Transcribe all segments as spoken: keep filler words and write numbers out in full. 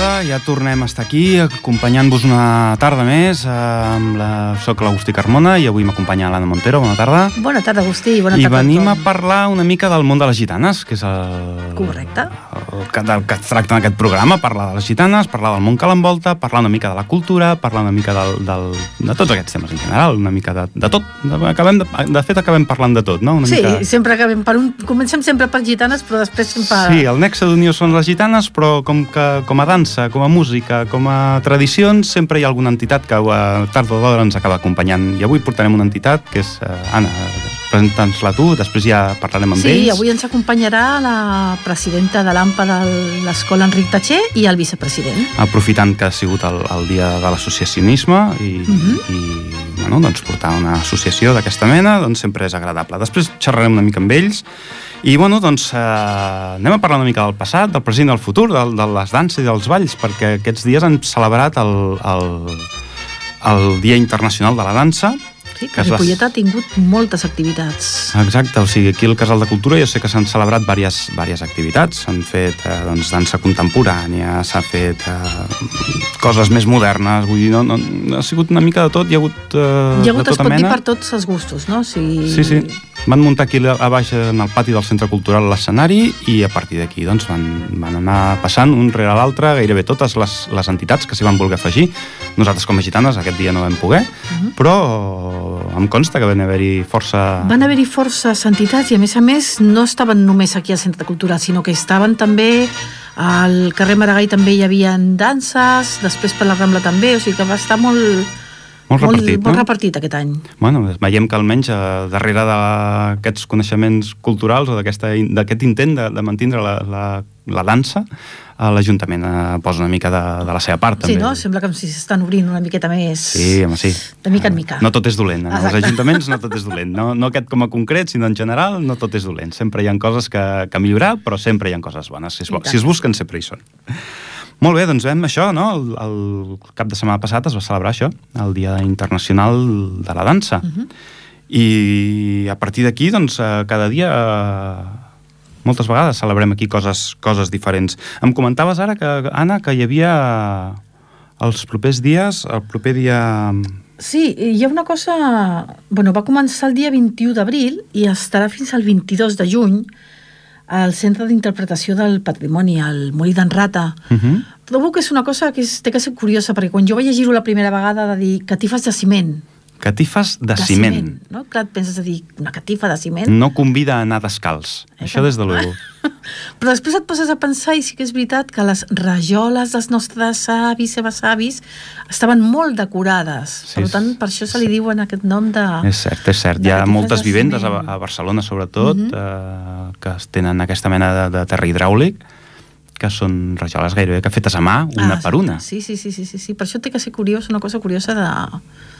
tarda, ja tornem a estar aquí acompanyant-vos una tarda més. Amb la... Soc l'Agustí Carmona i avui m'acompanya l'Anna Montero. Bona tarda. Bona tarda, Agustí. Bona I tarda venim a parlar una mica del món de les gitanes, que és el... Correcte. El que, del que es tracta en aquest programa, parlar de les gitanes, parlar del món que l'envolta, parlar una mica de la cultura, parlar una mica del, del, de tots aquests temes en general, una mica de, de tot. Acabem de, de fet, acabem parlant de tot, no? Una sí, mica... sempre acabem per un... Comencem sempre per gitanes, però després sempre... Sí, el nexe d'unió són les gitanes, però com, que, com a dansa, com a música, com a tradicions, sempre hi ha alguna entitat que a tard o d'hora ens acaba acompanyant. I avui portarem una entitat que és... Eh, Anna, presenta'ns-la tu, després ja parlarem amb sí, ells. Sí, avui ens acompanyarà la presidenta de l'AMPA de l'Escola Enric Tatxer i el vicepresident. Aprofitant que ha sigut el, el dia de l'associacionisme i, uh -huh. i bueno, doncs portar una associació d'aquesta mena doncs sempre és agradable. Després xerrarem una mica amb ells i bueno, doncs eh, anem a parlar una mica del passat, del present i del futur, de, de les danses i dels balls, perquè aquests dies han celebrat el, el, el Dia Internacional de la Dansa. Sí, que Ripollet ha tingut moltes activitats. Exacte, o sigui, aquí al Casal de Cultura jo sé que s'han celebrat diverses, diverses activitats. S'han fet eh, doncs, dansa contemporània, s'ha fet eh, coses més modernes, vull dir, no, no, ha sigut una mica de tot, hi ha hagut eh, hi ha hagut, de tota es pot mena. dir, per tots els gustos, no? Si... Sí, sí. Van muntar aquí a baix en el pati del Centre Cultural l'escenari i a partir d'aquí doncs, van, van anar passant un rere l'altre gairebé totes les, les entitats que s'hi van voler afegir. Nosaltres com a gitanes aquest dia no vam poder, uh-huh. però em consta que van haver-hi força... Van haver-hi forces entitats i a més a més no estaven només aquí al Centre Cultural, sinó que estaven també al carrer Maragall, també hi havia danses, després per la Rambla també, o sigui que va estar molt... Molt repartit, molt, molt no? repartit aquest any. Bueno, veiem que almenys eh, darrere d'aquests coneixements culturals o d'aquest intent de, de mantindre la, la, la dansa, eh, l'Ajuntament eh, posa una mica de, de la seva part. Sí, també. no? Sembla com si s'estan obrint una miqueta més... Sí, home, sí. De mica en mica. No tot és dolent. En els ajuntaments no tot és dolent. No, no aquest com a concret, sinó en general, no tot és dolent. Sempre hi ha coses que, que millorar, però sempre hi ha coses bones. Si es, si es busquen, sempre hi són. Molt bé, doncs vam això, no? El, el cap de setmana passat es va celebrar això, el Dia Internacional de la Dansa. Uh-huh. I a partir d'aquí, doncs, cada dia, moltes vegades celebrem aquí coses, coses diferents. Em comentaves ara, que, Anna, que hi havia els propers dies, el proper dia... Sí, hi ha una cosa... Bueno, va començar el dia vint-i-u d'abril i estarà fins al vint-i-dos de juny al Centre d'Interpretació del Patrimoni, al Molí d'en Rata. Uh-huh. Trobo que és una cosa que és, té que ser curiosa, perquè quan jo vaig llegir-ho la primera vegada de dir catifes de ciment. Catifes de, de ciment. ciment. No? Clar, et penses a dir una catifa de ciment. No convida a anar descalç. Eh, Això des de luego. Però després et poses a pensar, i sí que és veritat, que les rajoles dels nostres avis i besavis estaven molt decorades. Sí, per tant, per això se li diuen aquest nom de... És cert, és cert. Hi ha moltes vivendes a, a Barcelona, sobretot, uh-huh. eh, que tenen aquesta mena de, de terra hidràulic, que són rajoles gairebé que fetes a mà, una ah, per una. Sí, sí, sí, sí, sí, sí. Per això té que ser curiós, una cosa curiosa de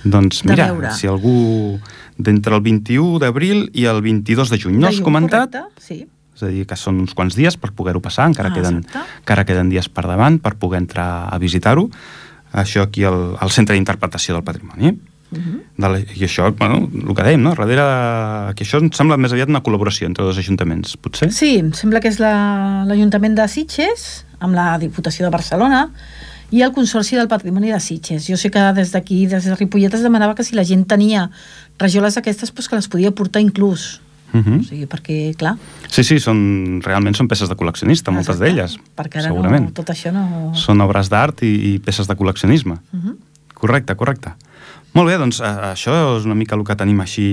Doncs de mira, veure. Si algú d'entre el vint-i-u d'abril i el vint-i-dos de juny no has comentat, correcte, sí. És a dir, que són uns quants dies per poder-ho passar, encara, ah, queden, encara queden dies per davant per poder entrar a visitar-ho, això aquí al, al Centre d'Interpretació del Patrimoni. Uh-huh. de la, I això, bueno, el que dèiem, no? Darrere, que això em sembla més aviat una col·laboració entre dos ajuntaments, potser? Sí, em sembla que és l'Ajuntament la, de Sitges, amb la Diputació de Barcelona, i el Consorci del Patrimoni de Sitges. Jo sé que des d'aquí, des de Ripollet, es demanava que si la gent tenia rajoles d'aquestes, doncs que les podia portar inclús. Uh-huh. O sigui, perquè, clar... Sí, sí, són, realment són peces de col·leccionista, ah, moltes d'elles. Perquè ara segurament. No, tot això no... Són obres d'art i, i peces de col·leccionisme. Uh-huh. Correcte, correcte. Molt bé, doncs això és una mica el que tenim així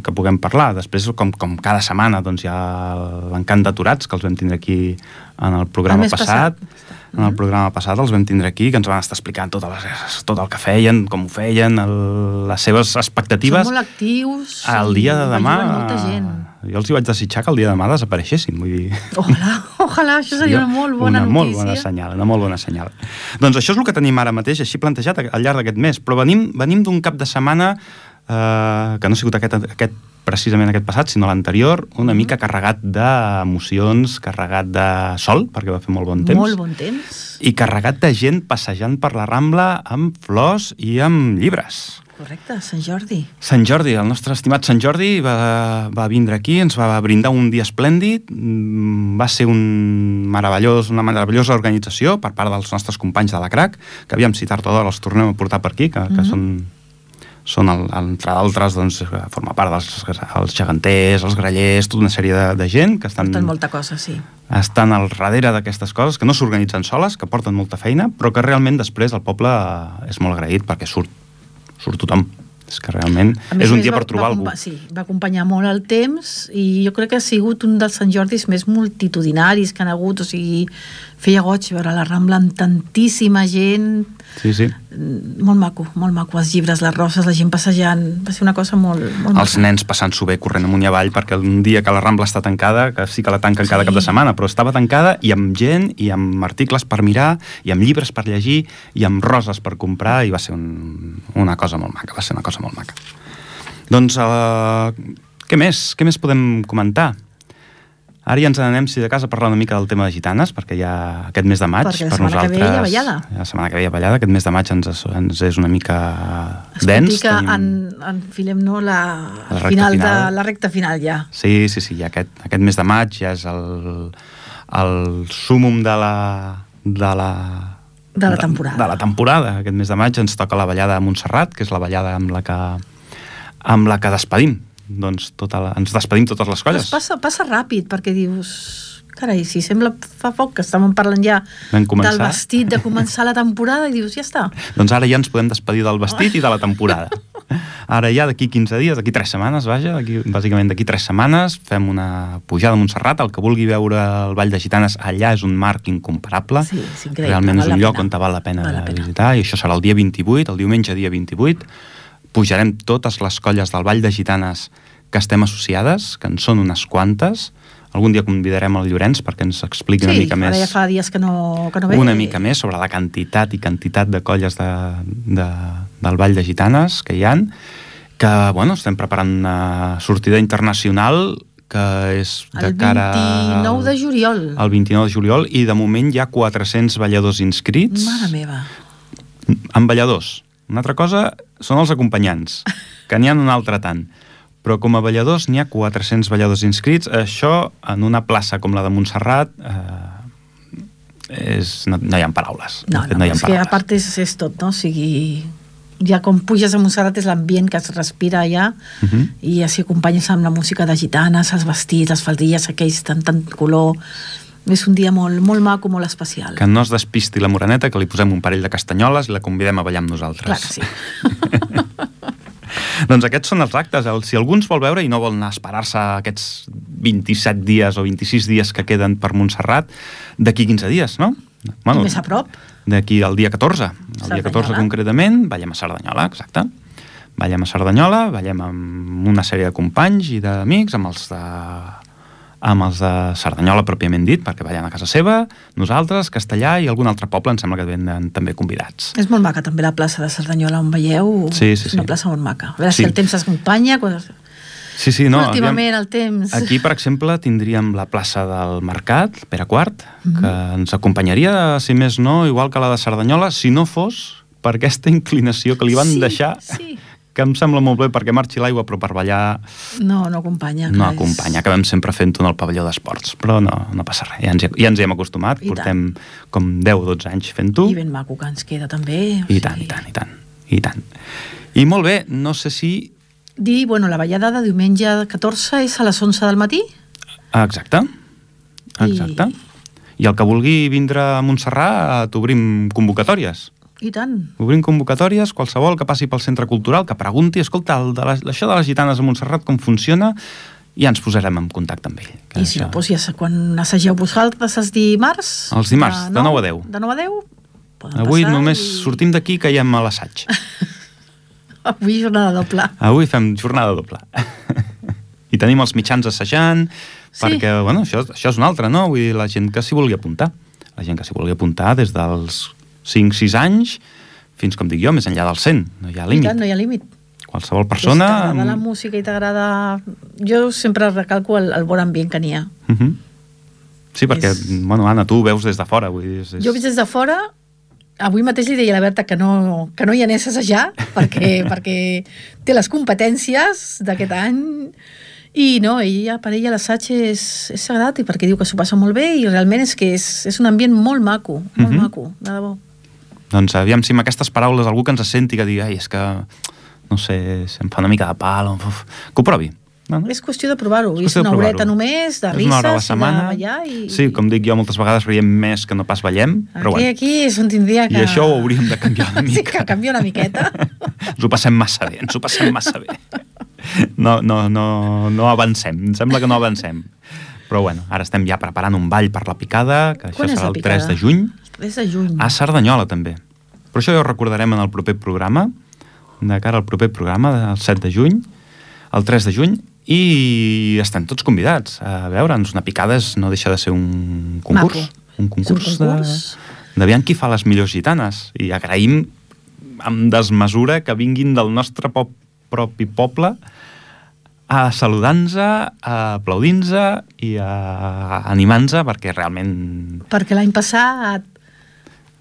que puguem parlar. Després, com, com cada setmana, doncs hi ha l'encant d'aturats, que els vam tindre aquí en el programa el passat. passat. En el programa passat els vam tindre aquí, que ens van estar explicant tot, les, tot el que feien, com ho feien, el, les seves expectatives. Són molt actius. El dia de demà... Molta gent. Jo els hi vaig desitjar que el dia de demà desapareixessin, vull dir... Ojalà, ojalà, això seria una molt bona una notícia. Una molt bona senyal, una molt bona senyal. Doncs això és el que tenim ara mateix, així plantejat al llarg d'aquest mes, però venim, venim d'un cap de setmana eh, que no ha sigut aquest, aquest precisament aquest passat, sinó l'anterior, una mica carregat d'emocions, carregat de sol, perquè va fer molt bon temps. Molt bon temps. I carregat de gent passejant per la Rambla amb flors i amb llibres. Correcte, Sant Jordi. Sant Jordi, el nostre estimat Sant Jordi va, va vindre aquí, ens va brindar un dia esplèndid, va ser un meravellós, una meravellosa organització per part dels nostres companys de la CRAC, que aviam si tard o d'hora els tornem a portar per aquí, que, que mm-hmm. són, són el, entre d'altres, doncs, forma part dels els geganters, els grallers, tota una sèrie de, de gent que estan... Porten molta cosa, sí. Estan al darrere d'aquestes coses, que no s'organitzen soles, que porten molta feina, però que realment després el poble és molt agraït perquè surt, surt tothom. És que realment és un dia per trobar algú. Sí, va acompanyar molt el temps i jo crec que ha sigut un dels Sant Jordis més multitudinaris que han hagut, o sigui, feia goig veure la Rambla amb tantíssima gent. Sí, sí. Molt maco, molt maco. Els llibres, les roses, la gent passejant. Va ser una cosa molt, molt maca. Els nens passant-s'ho bé, corrent amunt i avall, perquè un dia que la Rambla està tancada, que sí que la tanquen sí. cada cap de setmana, però estava tancada i amb gent, i amb articles per mirar, i amb llibres per llegir, i amb roses per comprar, i va ser un, una cosa molt maca, va ser una cosa molt maca. Doncs, uh, què més? Què més podem comentar? Ara ja ens n'anem, si de casa, a parlar una mica del tema de gitanes, perquè ja aquest mes de maig, perquè per nosaltres... Perquè la setmana que ve hi ha ballada. La setmana que ve hi ha ballada, aquest mes de maig ens, ens és una mica es dens. Es pot dir que tenim... en, enfilem no, la, la, final final. De, la recta final ja. Sí, sí, sí, ja aquest, aquest mes de maig ja és el, el súmum de la... De la de la temporada. De, de la temporada. Aquest mes de maig ens toca la ballada a Montserrat, que és la ballada amb la que, amb la que despedim. Doncs tota la, ens despedim totes les colles. Passa, passa ràpid, perquè dius... Carai, si sembla fa poc que estàvem parlant ja del vestit, de començar la temporada, i dius, ja està. Doncs ara ja ens podem despedir del vestit oh. i de la temporada. Ara ja d'aquí quinze dies, d'aquí tres setmanes, vaja, d'aquí, bàsicament d'aquí tres setmanes, fem una pujada a Montserrat. El que vulgui veure el Ball de Gitanes allà és un marc incomparable. Sí, és increïble. Realment és un lloc on val la pena, val la pena visitar, i això serà el dia vint-i-vuit, el diumenge dia vint-i-vuit. Pujarem totes les colles del Ball de Gitanes que estem associades, que en són unes quantes. Algun dia convidarem el Llorenç perquè ens expliqui sí, una mica més... Sí, ara ja fa dies que no, que no ve. Una mica més sobre la quantitat i quantitat de colles de, de, del Ball de Gitanes que hi ha, que, bueno, estem preparant una sortida internacional que és de cara... El vint-i-nou de juliol. El vint-i-nou de juliol, i de moment hi ha quatre-cents balladors inscrits. Mare meva. Amb balladors. Una altra cosa són els acompanyants, que n'hi ha un altre tant. Però com a balladors n'hi ha quatre-cents balladors inscrits. Això, en una plaça com la de Montserrat, eh, és, no, no hi ha paraules. No, no, no hi ha és paraules. Que a part és, és tot, no? O sigui, ja com puges a Montserrat és l'ambient que es respira allà, uh-huh. i així acompanyes amb la música de gitanes, els vestits, les faldilles, aquells tant, tant color... És un dia molt, molt maco, molt especial. Que no es despisti la Moreneta, que li posem un parell de castanyoles i la convidem a ballar amb nosaltres. Clar que sí. Doncs aquests són els actes. Si algú ens vol veure i no vol anar a esperar-se aquests vint-i-set dies o vint-i-sis dies que queden per Montserrat, d'aquí quinze dies, no? Bueno, més a prop. D'aquí al dia catorze. El dia catorze concretament, ballem a Cerdanyola, exacte. Ballem a Cerdanyola, ballem amb una sèrie de companys i d'amics, amb els de... amb els de Cerdanyola pròpiament dit, perquè ballen a casa seva, nosaltres, Castellà i algun altre poble, em sembla que venen també convidats. És molt maca també la plaça de Cerdanyola on veieu, sí, sí, és una sí. plaça molt maca. A veure sí. si el temps s'acompanya. Quan... Sí, sí, no. Últimament aviam, el temps... Aquí, per exemple, tindríem la plaça del Mercat, Pere quart, mm-hmm. que ens acompanyaria, si més no, igual que la de Cerdanyola, si no fos per aquesta inclinació que li van sí, deixar... Sí. que em sembla molt bé perquè marxi l'aigua, però per ballar... No, no acompanya. No acompanya, acabem sempre fent-ho en el pavelló d'esports, però no, no passa res, ja ens, ja ens hi hem acostumat, I portem tant. com deu o dotze anys fent-ho. I ben maco que ens queda també. I sigui... tant, i tant, i tant, i tant. I molt bé, no sé si... Dir, bueno, la ballada de diumenge catorze és a les onze del matí? Exacte, exacte. I, I el que vulgui vindre a Montserrat, t'obrim convocatòries. I tant. Obrim convocatòries, qualsevol que passi pel centre cultural, que pregunti, escolta, el de la, això de les gitanes a Montserrat com funciona, i ja ens posarem en contacte amb ell. I si això... no, doncs ja quan assageu vosaltres els dimarts... Els dimarts, de nou a deu. De nou a deu. Avui només i... sortim d'aquí i caiem a l'assaig. Avui jornada doble. Avui fem jornada doble. I tenim els mitjans assajant, sí. perquè, bueno, això, això és un altre, no? Vull dir, la gent que s'hi vulgui apuntar. La gent que s'hi vulgui apuntar des dels cinc sis anys, fins, com dic jo, més enllà del cent. No hi ha límit. I tant, no hi ha límit. Qualsevol persona... Si t'agrada la música i t'agrada... Jo sempre recalco el, el bon ambient que n'hi ha. Uh-huh. Sí, perquè, és... bueno, Anna, tu veus des de fora. Vull dir, és... Jo veig des de fora avui mateix li deia a la Berta que no, que no hi anés a assajar perquè, perquè té les competències d'aquest any i no, ella, per ella l'assaig és, és sagrat i perquè diu que s'ho passa molt bé i realment és que és, és un ambient molt maco, molt mm-hmm. maco, de debò. Doncs aviam si amb aquestes paraules algú que ens senti que digui, ai, és que, no sé, em fa una mica de pal, uf, que ho provi. No, no? És qüestió de provar-ho, és, és una horeta només, de risses, i de ballar i... Sí, com dic jo, moltes vegades riem més que no pas ballem, aquí, però bueno. Aquí és on tindria que... I això ho hauríem de canviar una mica. Sí, que canvia una miqueta. Ens ho passem massa bé, ens ho passem massa bé. No, no, no, no avancem, em sembla que no avancem. Però bueno, ara estem ja preparant un ball per la picada, que Quan això serà el picada? tres de juny. tres de juny. A Cerdanyola, també. Però això ja ho recordarem en el proper programa, de cara al proper programa, el set de juny, el tres de juny, i estem tots convidats a veure'ns. Una picada és, no deixa de ser un concurs. Maco. Un concurs, un concurs. de, de qui fa les millors gitanes. I agraïm amb desmesura que vinguin del nostre pop, propi poble a saludar-nos, a aplaudir-nos i a animar-nos, perquè realment... Perquè l'any passat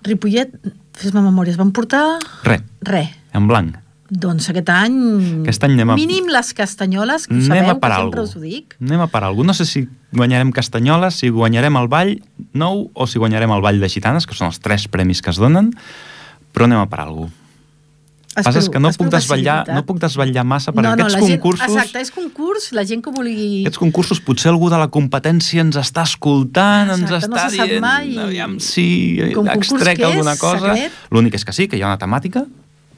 Ripollet, fes-me memòria, es van portar... Re. Re. En blanc. Doncs aquest any, aquest any anem a... mínim les castanyoles, que ho sabeu, que sempre us ho dic. Anem a parar alguna. No sé si guanyarem castanyoles, si guanyarem el ball nou o si guanyarem el ball de gitanes, que són els tres premis que es donen, però anem a parar alguna. El que passa és que no puc desvetllar, no puc desvetllar massa, perquè no, no, aquests gent, concursos... Exacte, és concurs, la gent que vulgui... Aquests concursos, potser algú de la competència ens està escoltant, exacte, ens està no dient... Mai. Aviam si extrec alguna cosa. L'únic és que sí, que hi ha una temàtica,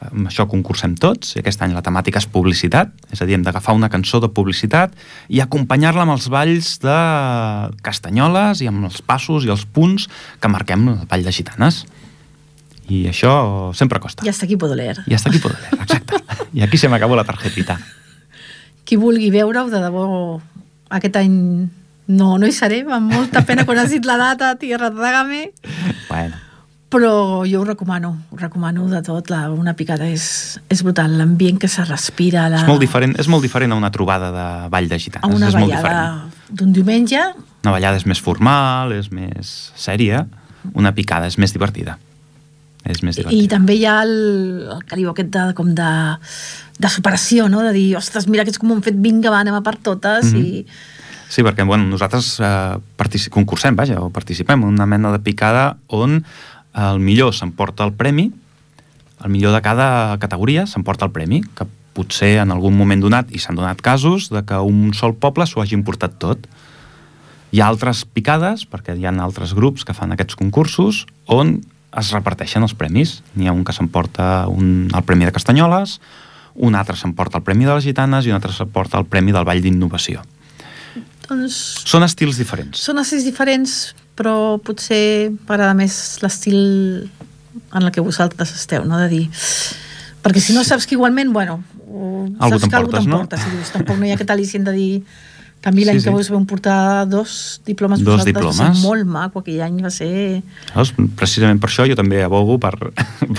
amb això concursem tots, i aquest any la temàtica és publicitat, és a dir, hem d'agafar una cançó de publicitat i acompanyar-la amb els balls de castanyoles i amb els passos i els punts que marquem el ball de gitanes. I això sempre costa. I hasta aquí puedo leer. I hasta aquí puedo leer, exacte. I aquí se m'acabó la tarjetita. Qui vulgui veure-ho, de debò, aquest any no, no hi seré, amb molta pena quan has dit la data, tierra trágame. Bueno. Però jo ho recomano, ho recomano de tot, la, una picada és, és brutal, l'ambient que se respira... La... És, molt diferent, és molt diferent a una trobada de ball de gitanes, a una és molt ballada d'un diumenge... Una ballada és més formal, és més sèria, una picada és més divertida. És més divertida. I també hi ha el, el cariu aquest de, com de, de superació, no? De dir, ostres, mira aquests com ho han fet, vinga, va, anem a per totes, mm-hmm. i... Sí, perquè bueno, nosaltres eh, partici- concursem, vaja, o participem en una mena de picada on el millor s'emporta el premi, el millor de cada categoria s'emporta el premi, que potser en algun moment donat, i s'han donat casos, de que un sol poble s'ho hagi importat tot. Hi ha altres picades, perquè hi ha altres grups que fan aquests concursos, on es reparteixen els premis. N'hi ha un que s'emporta un, el Premi de Castanyoles, un altre s'emporta el Premi de les Gitanes i un altre s'emporta el Premi del Ball d'Innovació. Doncs... Són estils diferents. Són estils diferents, però potser m'agrada més l'estil en el que vosaltres esteu, no? De dir... Perquè si no saps que igualment, bueno, algú saps que algú t'emportes, t'emporta, no? Si dius, tampoc no hi ha aquest al·licient de dir que a mi l'any sí, sí. que vos vam portar dos diplomes, dos diplomes. Va ser molt maco, aquell any va ser... Llavors, precisament per això jo també abogo per,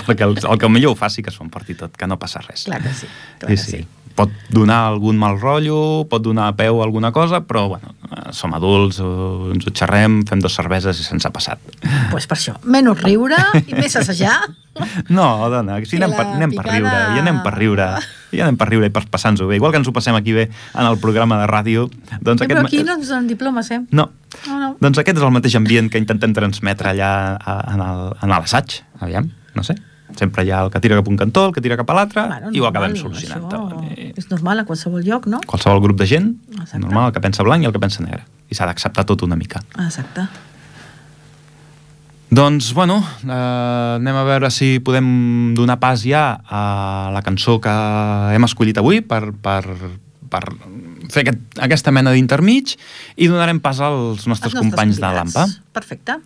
perquè el, el que millor ho faci que s'ho emporti tot, que no passa res. Clar que sí, clar sí, que sí. sí. Pot donar algun mal rotllo, pot donar peu a alguna cosa, però bueno, som adults, ens ho xerrem, fem dos cerveses i se'ns ha passat. Doncs pues per això, menys riure i més assajar. No, dona, si anem, per, anem picada... per riure, i anem per riure, i anem per riure i per passar-nos-ho bé. Igual que ens ho passem aquí bé en el programa de ràdio. Doncs sí, aquest... Però aquí no ens donen diplomes, eh? No. no, no. Doncs aquest és el mateix ambient que intentem transmetre allà en el, en l'assaig, aviam, no sé. Sempre hi ha el que tira cap un cantó, el que tira cap a l'altre, bueno, i ho acabem solucionant tot. És normal a qualsevol lloc, no? Qualsevol grup de gent, exacte. Normal, el que pensa blanc i el que pensa negre. I s'ha d'acceptar tot una mica. Exacte. Doncs, bueno, eh, anem a veure si podem donar pas ja a la cançó que hem escollit avui per, per, per fer aquest, aquesta mena d'intermig i donarem pas als nostres, nostres companys de l'Ampa. Perfecte.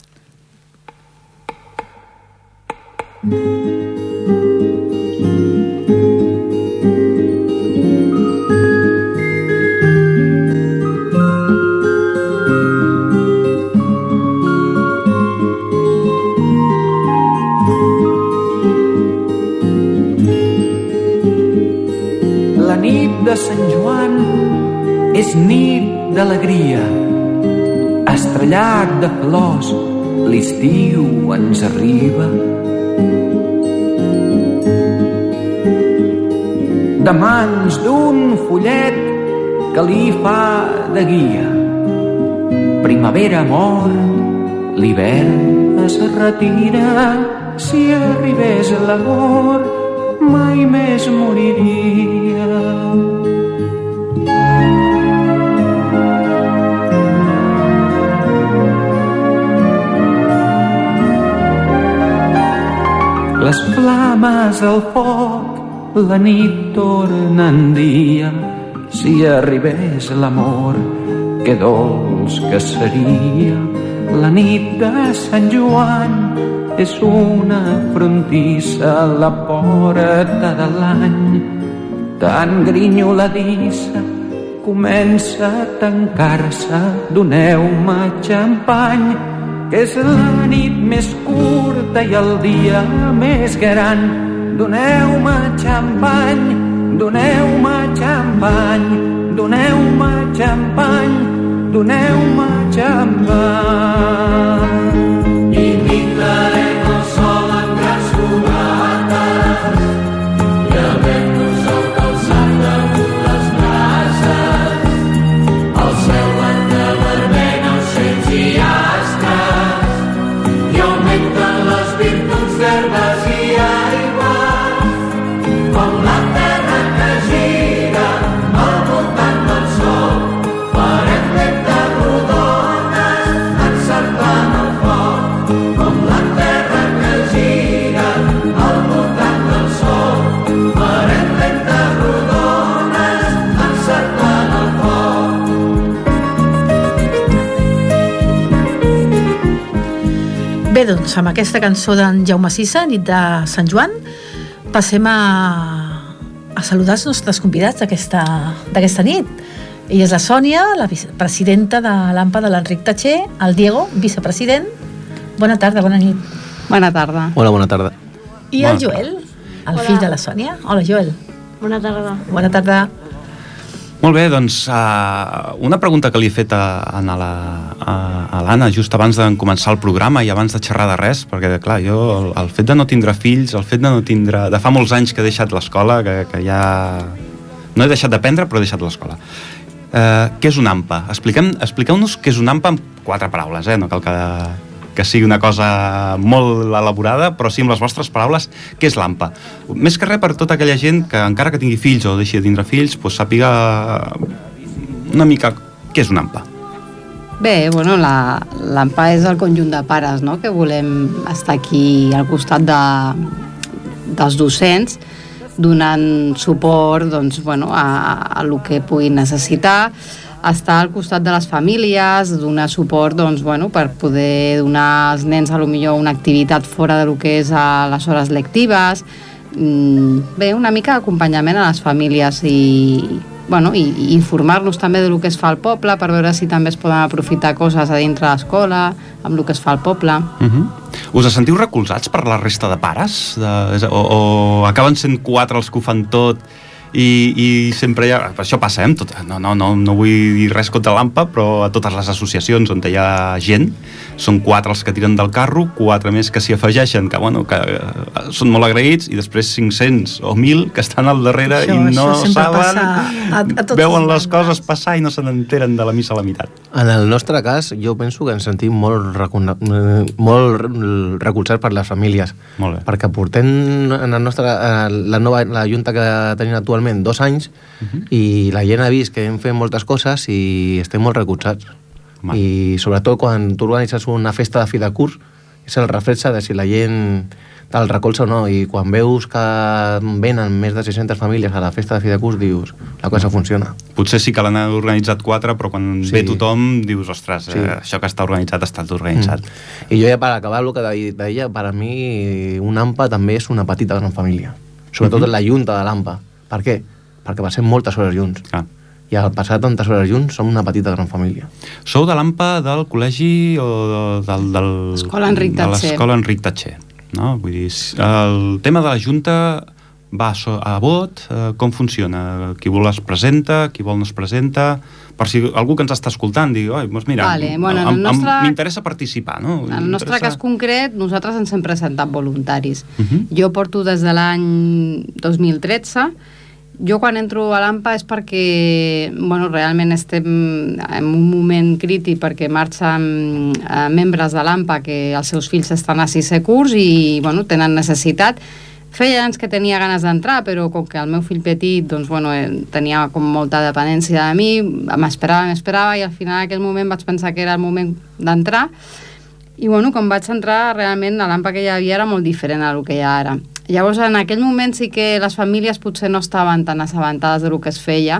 La nit de Sant Joan és nit d'alegria, estrellat de flors, l'estiu ens arriba. de mans d'un follet que li fa de guia. Primavera mort, l'hivern es retira, si arribés l'amor mai més moriria. Les flames al foc, la nit torna en dia, si arribés l'amor, que dolç que seria. La nit de Sant Joan és una frontissa a la porta de l'any, tan grinyoladissa comença a tancar-se. Doneu-me xampany, que és la nit més curta i el dia més gran. Doneu-me xampany, doneu-me xampany, doneu-me xampany, doneu-me xampany. I pintarem el sol amb grans comates i havent-nos el calçat damunt les brases. Al cel van de vermell ocells i astres i augmenten les virtuts d'herbes i aigües, com la terra que gira al voltant del sol. Farem lentes rodones encerclant el foc, com la terra que gira al voltant del sol. Farem lentes rodones encerclant el foc. Bé, doncs, amb aquesta cançó d'en Jaume Sisa, Nit de Sant Joan, passem a, a saludar els nostres convidats d'aquesta d'aquesta nit. Ella és la Sònia, la presidenta de l'AMPA de l'Enric Tatxer, el Diego, vicepresident. Bona tarda, bona nit. Bona tarda. Hola, bona tarda. I el Joel, el Hola. fill de la Sònia. Hola, Joel. Bona tarda. Bona tarda. Molt bé, doncs uh, una pregunta que li he fet a, a la, a, a l'Anna just abans de començar el programa i abans de xerrar de res, perquè clar, jo el, el fet de no tindre fills, el fet de no tindre... de fa molts anys que he deixat l'escola, que, que ja... no he deixat d'aprendre, però he deixat l'escola. Uh, què és un AMPA? Expliquem, expliqueu-nos què és un AMPA amb quatre paraules, eh? No cal que, que sigui una cosa molt elaborada, però sí amb les vostres paraules, què és l'AMPA? Més que res per tota aquella gent que encara que tingui fills o deixi de tindre fills, pues, sàpiga una mica què és un AMPA. Bé, bueno, la, l'AMPA és el conjunt de pares, no?, que volem estar aquí al costat de, dels docents, donant suport, doncs, bueno, a, a lo que puguin necessitar, estar al costat de les famílies, donar suport, doncs, bueno, per poder donar als nens a lo millor una activitat fora de lo que és a les hores lectives. Bé, una mica d'acompanyament a les famílies i, bueno, i, i informar-nos també de lo que es fa al poble per veure si també es poden aprofitar coses a dintre l'escola, amb lo que es fa al poble. Uh-huh. Us sentiu recolzats per la resta de pares? De, o, o acaben sent quatre els que ho fan tot i, i sempre hi ha... Això passa, eh? Tot, no, no, no, no vull dir res contra l'AMPA, però a totes les associacions on hi ha gent, són quatre els que tiren del carro, quatre més que s'hi afegeixen, que, bueno, que eh, són molt agraïts, i després cinc-cents o mil que estan al darrere això, i no saben, a, a veuen les coses passar i no se n'enteren de la missa a la meitat. En el nostre cas, jo penso que ens sentim molt, recona... molt recolzats per les famílies. Molt bé. Perquè portem en el nostre, la nova la junta que tenim actualment dos anys, uh-huh. i la gent ha vist que hem fet moltes coses i estem molt recolzats. Mal. I sobretot quan tu organitzes una festa de fi de curs, és el reflex de si la gent te'l recolza o no, i quan veus que venen més de sis-centes famílies a la festa de fi de curs, dius, la cosa funciona. Potser sí que l'han organitzat quatre, però quan sí. ve tothom dius, ostres, sí. eh, això que està organitzat està tot organitzat. Mm. I jo ja per acabar el que deia, per a mi un AMPA també és una petita gran família, sobretot mm-hmm. la junta de l'AMPA. Per què? Perquè passem moltes hores junts. Ah. I al passar tantes hores junts som una petita gran família. Sou de l'AMPA del col·legi o del, del, Escola Enric Tatxer. de l'escola Enric Tatxer, no? Vull dir, el tema de la Junta va a vot, eh, com funciona? Qui vol es presenta, qui vol no es presenta, per si algú que ens està escoltant digui, oi, doncs mira, vale, bueno, em, nostre... m'interessa participar, no? En el nostre cas concret, nosaltres ens hem presentat voluntaris. Uh-huh. Jo porto des de l'any dos mil tretze Jo quan entro a l'A M P A és perquè bueno, realment estem en un moment crític perquè marxen eh, membres de l'A M P A que els seus fills estan a sisè curs i bueno, tenen necessitat. Feia anys que tenia ganes d'entrar, però com que el meu fill petit doncs, bueno, tenia com molta dependència de mi, m'esperava, m'esperava i al final en aquell moment vaig pensar que era el moment d'entrar i bueno, quan vaig entrar realment l'A M P A que hi havia era molt diferent a el que hi ha ara. Llavors, en aquell moment sí que les famílies potser no estaven tan assabentades del que es feia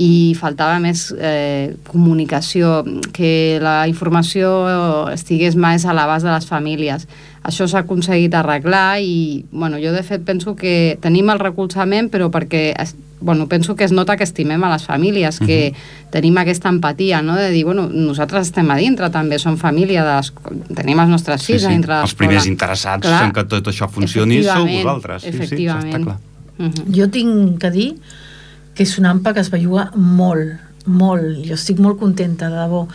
i faltava més eh, comunicació, que la informació estigués més a l'abast de les famílies. Això s'ha aconseguit arreglar i, bueno, jo de fet penso que tenim el recolzament, però perquè, bueno, penso que es nota que estimem a les famílies, que uh-huh. tenim aquesta empatia, no?, de dir, bueno, nosaltres estem a dintre també, som família, de les, tenim els nostres fills sí, sí. a dintre de l'escola. Els primers interessats clar, en que tot això funcioni sou vosaltres. Sí, efectivament. Sí, està clar. Uh-huh. Jo tinc que dir que és una A M P A que es belluga molt, molt. Jo estic molt contenta, de debò.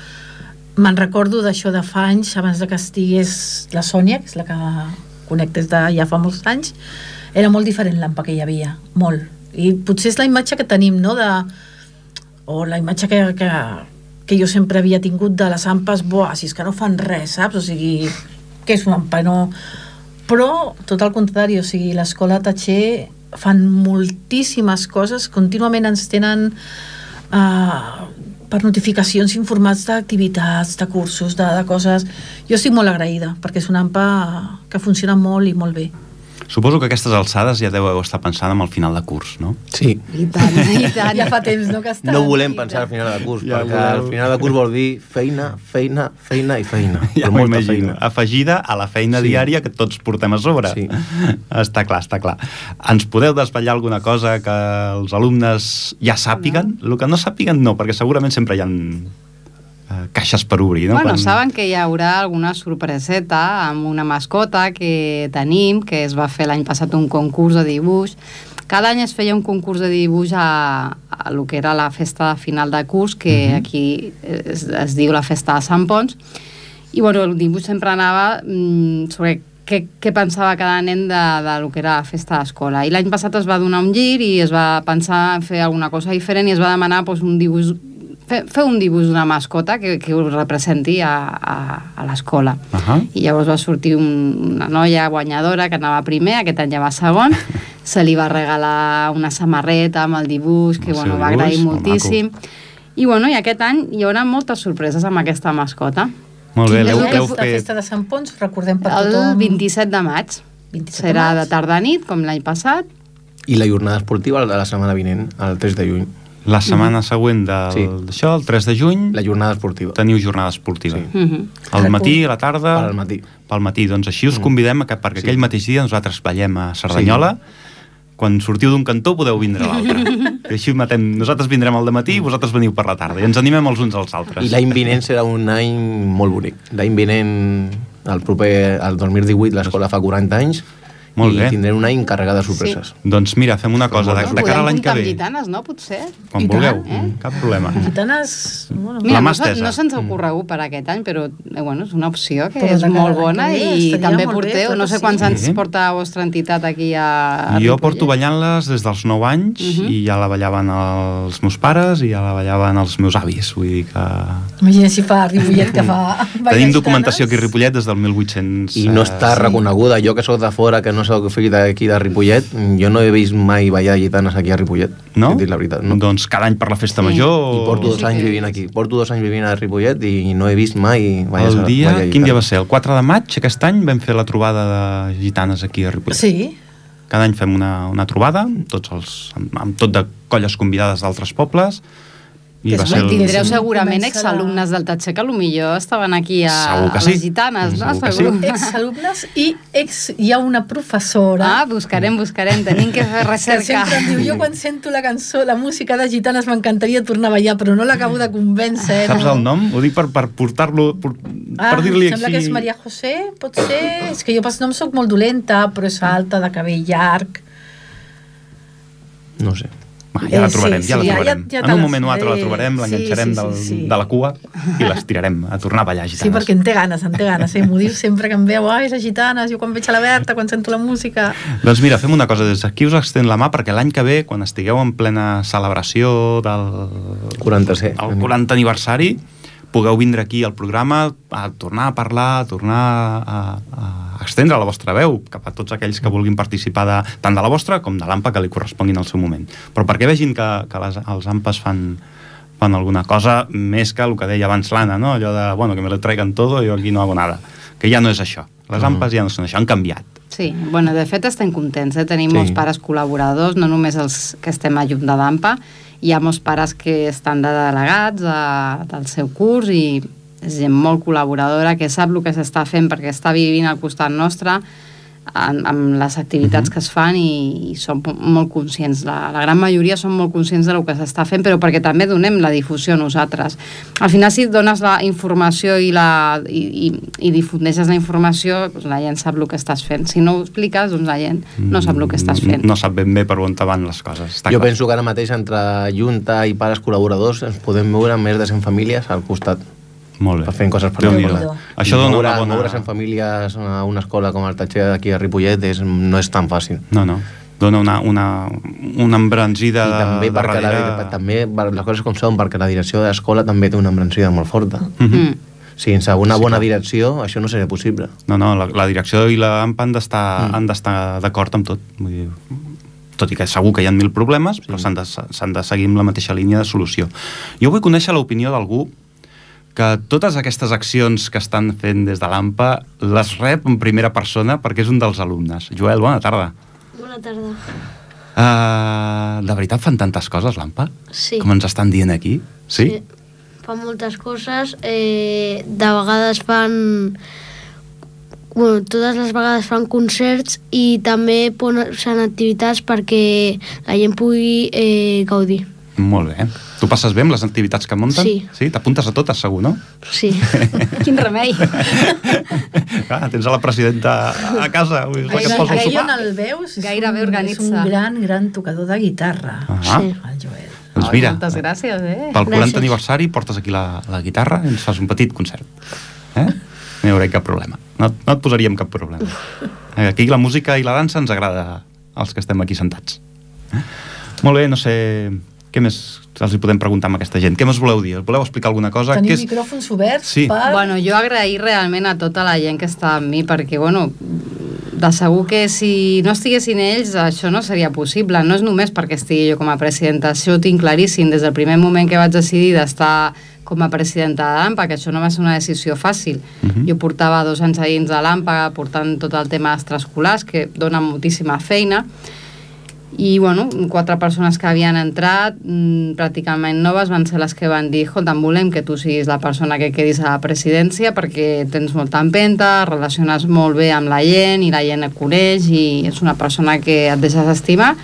Me'n recordo d'això de fa anys, abans de que estigués la Sònia, que és la que conec des de ja fa molts anys, era molt diferent l'A M P A que hi havia, molt. I potser és la imatge que tenim, no?, de... o la imatge que, que, que jo sempre havia tingut de les A M P As, buah, si és que no fan res, saps? O sigui, què és una A M P A? No... Però, tot el contrari, o sigui, l'escola Tatxer fan moltíssimes coses, contínuament ens tenen... Uh, per notificacions informats d'activitats, de cursos, de, de coses. Jo estic molt agraïda, perquè és una A M P A que funciona molt i molt bé. Suposo que a aquestes alçades ja deveu estar pensant en el final de curs, no? Sí. I tant, i tant. Ja fa temps, no?, que està. No volem pensar al final de curs, ja perquè voleu... al final de curs vol dir feina, feina, feina i feina. Ja m'ho imagino. Afegida a la feina sí. diària que tots portem a sobre. Sí. Està clar, està clar. Ens podeu desvetllar alguna cosa que els alumnes ja sàpiguen? No. El que no sàpiguen no, perquè segurament sempre hi ha caixes per obrir, no? Bueno, Quan... saben que hi haurà alguna sorpreseta amb una mascota que tenim, que es va fer l'any passat un concurs de dibuix. Cada any es feia un concurs de dibuix a, a lo que era la festa de final de curs, que uh-huh. aquí es, es diu la festa de Sant Pons, i bueno, el dibuix sempre anava mm, sobre què, què pensava cada nen de, de lo que era la festa d'escola. I l'any passat es va donar un gir i es va pensar en fer alguna cosa diferent i es va demanar doncs, un dibuix Fer, fer un dibuix d'una mascota que, que ho representi a, a, a l'escola. Uh-huh. I llavors va sortir un, una noia guanyadora que anava primer, aquest any ja va segon, se li va regalar una samarreta amb el dibuix, que el bueno, va agrair moltíssim. I, bueno, i aquest any hi haurà moltes sorpreses amb aquesta mascota. Molt bé, l'heu fet... fet... La festa de Sant Pons, recordem per el tothom... El vint-i-set de maig. vint-i-set Serà de, de tarda-nit, com l'any passat. I la jornada esportiva de la setmana vinent, el tres de juny. La setmana mm-hmm. següent del, sí. d'això, el tres de juny... La jornada esportiva. Teniu jornada esportiva. Sí. Mm-hmm. Al matí, a la tarda... Al matí. Pel matí. Doncs així us convidem a que perquè sí. aquell mateix dia nosaltres ballem a Cerdanyola. Sí. Quan sortiu d'un cantó podeu vindre a l'altre. I així matem. Nosaltres vindrem al dematí i vosaltres veniu per la tarda. I ens animem els uns als altres. I l'any vinent serà un any molt bonic. L'any vinent, el proper, el dos mil divuit, l'escola fa quaranta anys. Molt i bé. Tindrem un any carregat de sorpreses. Sí. Doncs mira, fem una cosa, de, de cara a l'any que ve. Podem gitanes, no? Potser? Quan I vulgueu, tant, eh? Cap problema. Gitanes... Bueno, mira, no, se, no se'ns ha ocorregut per aquest any, però eh, bueno, és una opció que però és molt bona i, i també porteu, bé, no sé quants sí. anys porta la vostra entitat aquí a, a Jo porto ballant-les des dels nou anys uh-huh. i ja la ballaven els meus pares i ja la ballaven els meus avis, vull dir que... Imagina si fa Ripollet que fa... Tenim documentació aquí a Ripollet des del mil vuit-cents... I no està sí. reconeguda, jo que soc de fora, que no soc fill d'aquí de Ripollet, jo no he vist mai ballar gitanes aquí a Ripollet. No? He dit la veritat, no? Doncs cada any per la festa sí. major... I porto dos sí anys vivint aquí. Porto dos anys vivint a Ripollet i no he vist mai ballar, el dia, ballar quin dia va ser? El quatre de maig, aquest any, vam fer la trobada de gitanes aquí a Ripollet. Sí. Cada any fem una, una trobada, tots els, amb, amb tot de colles convidades d'altres pobles. I va ser el... Tindreu segurament exalumnes del Tatxer que potser estaven aquí a, a sí. les gitanes, no? Segur que sí. Exalumnes i ex, hi ha una professora. Ah, buscarem, buscarem, tenim que fer recerca. Que sempre em diu, jo quan sento la cançó, la música de gitanes m'encantaria tornar a ballar, però no l'acabo de convèncer. Saps no? el nom? Ho dic per, per portar-lo, per, ah, per dir-li així. Sembla que és Maria José, pot ser? És que jo pas nom soc molt dolenta, però és alta, de cabell llarg. No sé. Va, ja la trobarem, sí, ja la sí, trobarem. ja- ja En te un la moment o altre la faré. trobarem, l'enganxarem Sí, sí, del, sí, sí. de la cua i les tirarem a tornar a ballar gitanes. Sí, perquè en té ganes, en té ganes. Eh? M'ho diu sempre que em veu, ai, les gitanes, jo quan veig a la Berta, quan sento la música... Doncs mira, fem una cosa, des d'aquí us extén la mà perquè l'any que ve, quan estigueu en plena celebració del quaranta-set. el quaranta aniversari, pugueu vindre aquí al programa a tornar a parlar, a tornar a, a extendre la vostra veu cap a tots aquells que vulguin participar de, tant de la vostra com de l'A M P A que li corresponguin al seu moment. Però perquè vegin que, que les, els A M P As fan, fan alguna cosa més que el que deia abans l'Anna, no? Allò de, bueno, que me lo traigan todo, jo aquí no hago nada. Que ja no és això. Les A M P As ja no són això, han canviat. Sí, bueno, de fet estem contents, eh? Tenim Sí. molts pares col·laboradors, no només els que estem a Junta d'A M P A, hi ha molts pares que estan de delegats a, del seu curs i és gent molt col·laboradora que sap el que s'està fent perquè està vivint al costat nostre en, amb les activitats uh-huh. que es fan i, i són molt conscients, la, la gran majoria són molt conscients del que s'està fent, però perquè també donem la difusió nosaltres. Al final, si dones la informació i, la, i, i, i difundeixes la informació, doncs la gent sap el que estàs fent. Si no ho expliques, doncs la gent no sap el que estàs fent. No sap ben bé per on van les coses. Està Jo clar. penso que ara mateix entre Junta i pares col·laboradors ens podem moure amb més de cent famílies al costat Molt bé. per fer coses per Déu-n'hi-do. Déu-n'hi-do. Això dona moure, una bona... Moure's en famílies a una escola com el Tatxer d'aquí a Ripollet és, no és tan fàcil. No, no. Dona una, una, una embranzida I també, de, de perquè darrere... la, també les coses com són, perquè la direcció de l'escola també té una embranzida molt forta. Mhm. Mm. Sense una Sí, bona clar. direcció això no seria possible. No, no, la, la direcció i la A M P A han d'estar Mm. han d'estar d'acord amb tot. Vull dir, tot i que segur que hi ha mil problemes, però Sí. s'han de, s'han de seguir amb la mateixa línia de solució. Jo vull conèixer l'opinió d'algú que totes aquestes accions que estan fent des de l'A M P A les rep en primera persona perquè és un dels alumnes. Joel, bona tarda. Bona tarda. Uh, de veritat fan tantes coses, l'A M P A? Sí. Com ens estan dient aquí? Sí? Sí. Fan moltes coses. Eh, de vegades fan... Bueno, totes les vegades fan concerts i també posen activitats perquè la gent pugui eh, gaudir. Molt bé. Tu passes bé amb les activitats que munten? Sí. Sí? T'apuntes a totes, segur, no? Sí. Quin remei! Clar, tens a la presidenta a casa, vull dir, és la que et posa el Ahir sopar. on el veus és, Gairebé un, és organitza. un gran, gran tocador de guitarra. Ah, Sí. El Joel. doncs Ai, mira, moltes gràcies, eh? pel quaranta Gràcies. aniversari portes aquí la, la guitarra i ens fas un petit concert. Eh? No hi haurà cap problema. No, no et posaríem cap problema. Aquí la música i la dansa ens agrada als que estem aquí sentats. Eh? Molt bé, no sé... Què més els hi podem preguntar amb aquesta gent? Què més voleu dir? Voleu explicar alguna cosa? Tenim Què és... micròfons oberts Sí. per... Bueno, jo agrair realment a tota la gent que està amb mi, perquè, bueno, de segur que si no estiguessin ells, això no seria possible. No és només perquè estigui jo com a presidenta, això ho tinc claríssim. Des del primer moment que vaig decidir d'estar com a presidenta de l'A M P A, que això no va ser una decisió fàcil. Uh -huh. Jo portava dos anys a dins de l'A M P A, portant tot el tema extraescolars, que dona moltíssima feina, i bueno, quatre persones que havien entrat mmm, pràcticament noves van ser les que van dir escolta'm, volem que tu siguis la persona que quedis a la presidència perquè tens molta empenta, relaciones molt bé amb la gent i la gent et coneix i és una persona que et deixes estimar,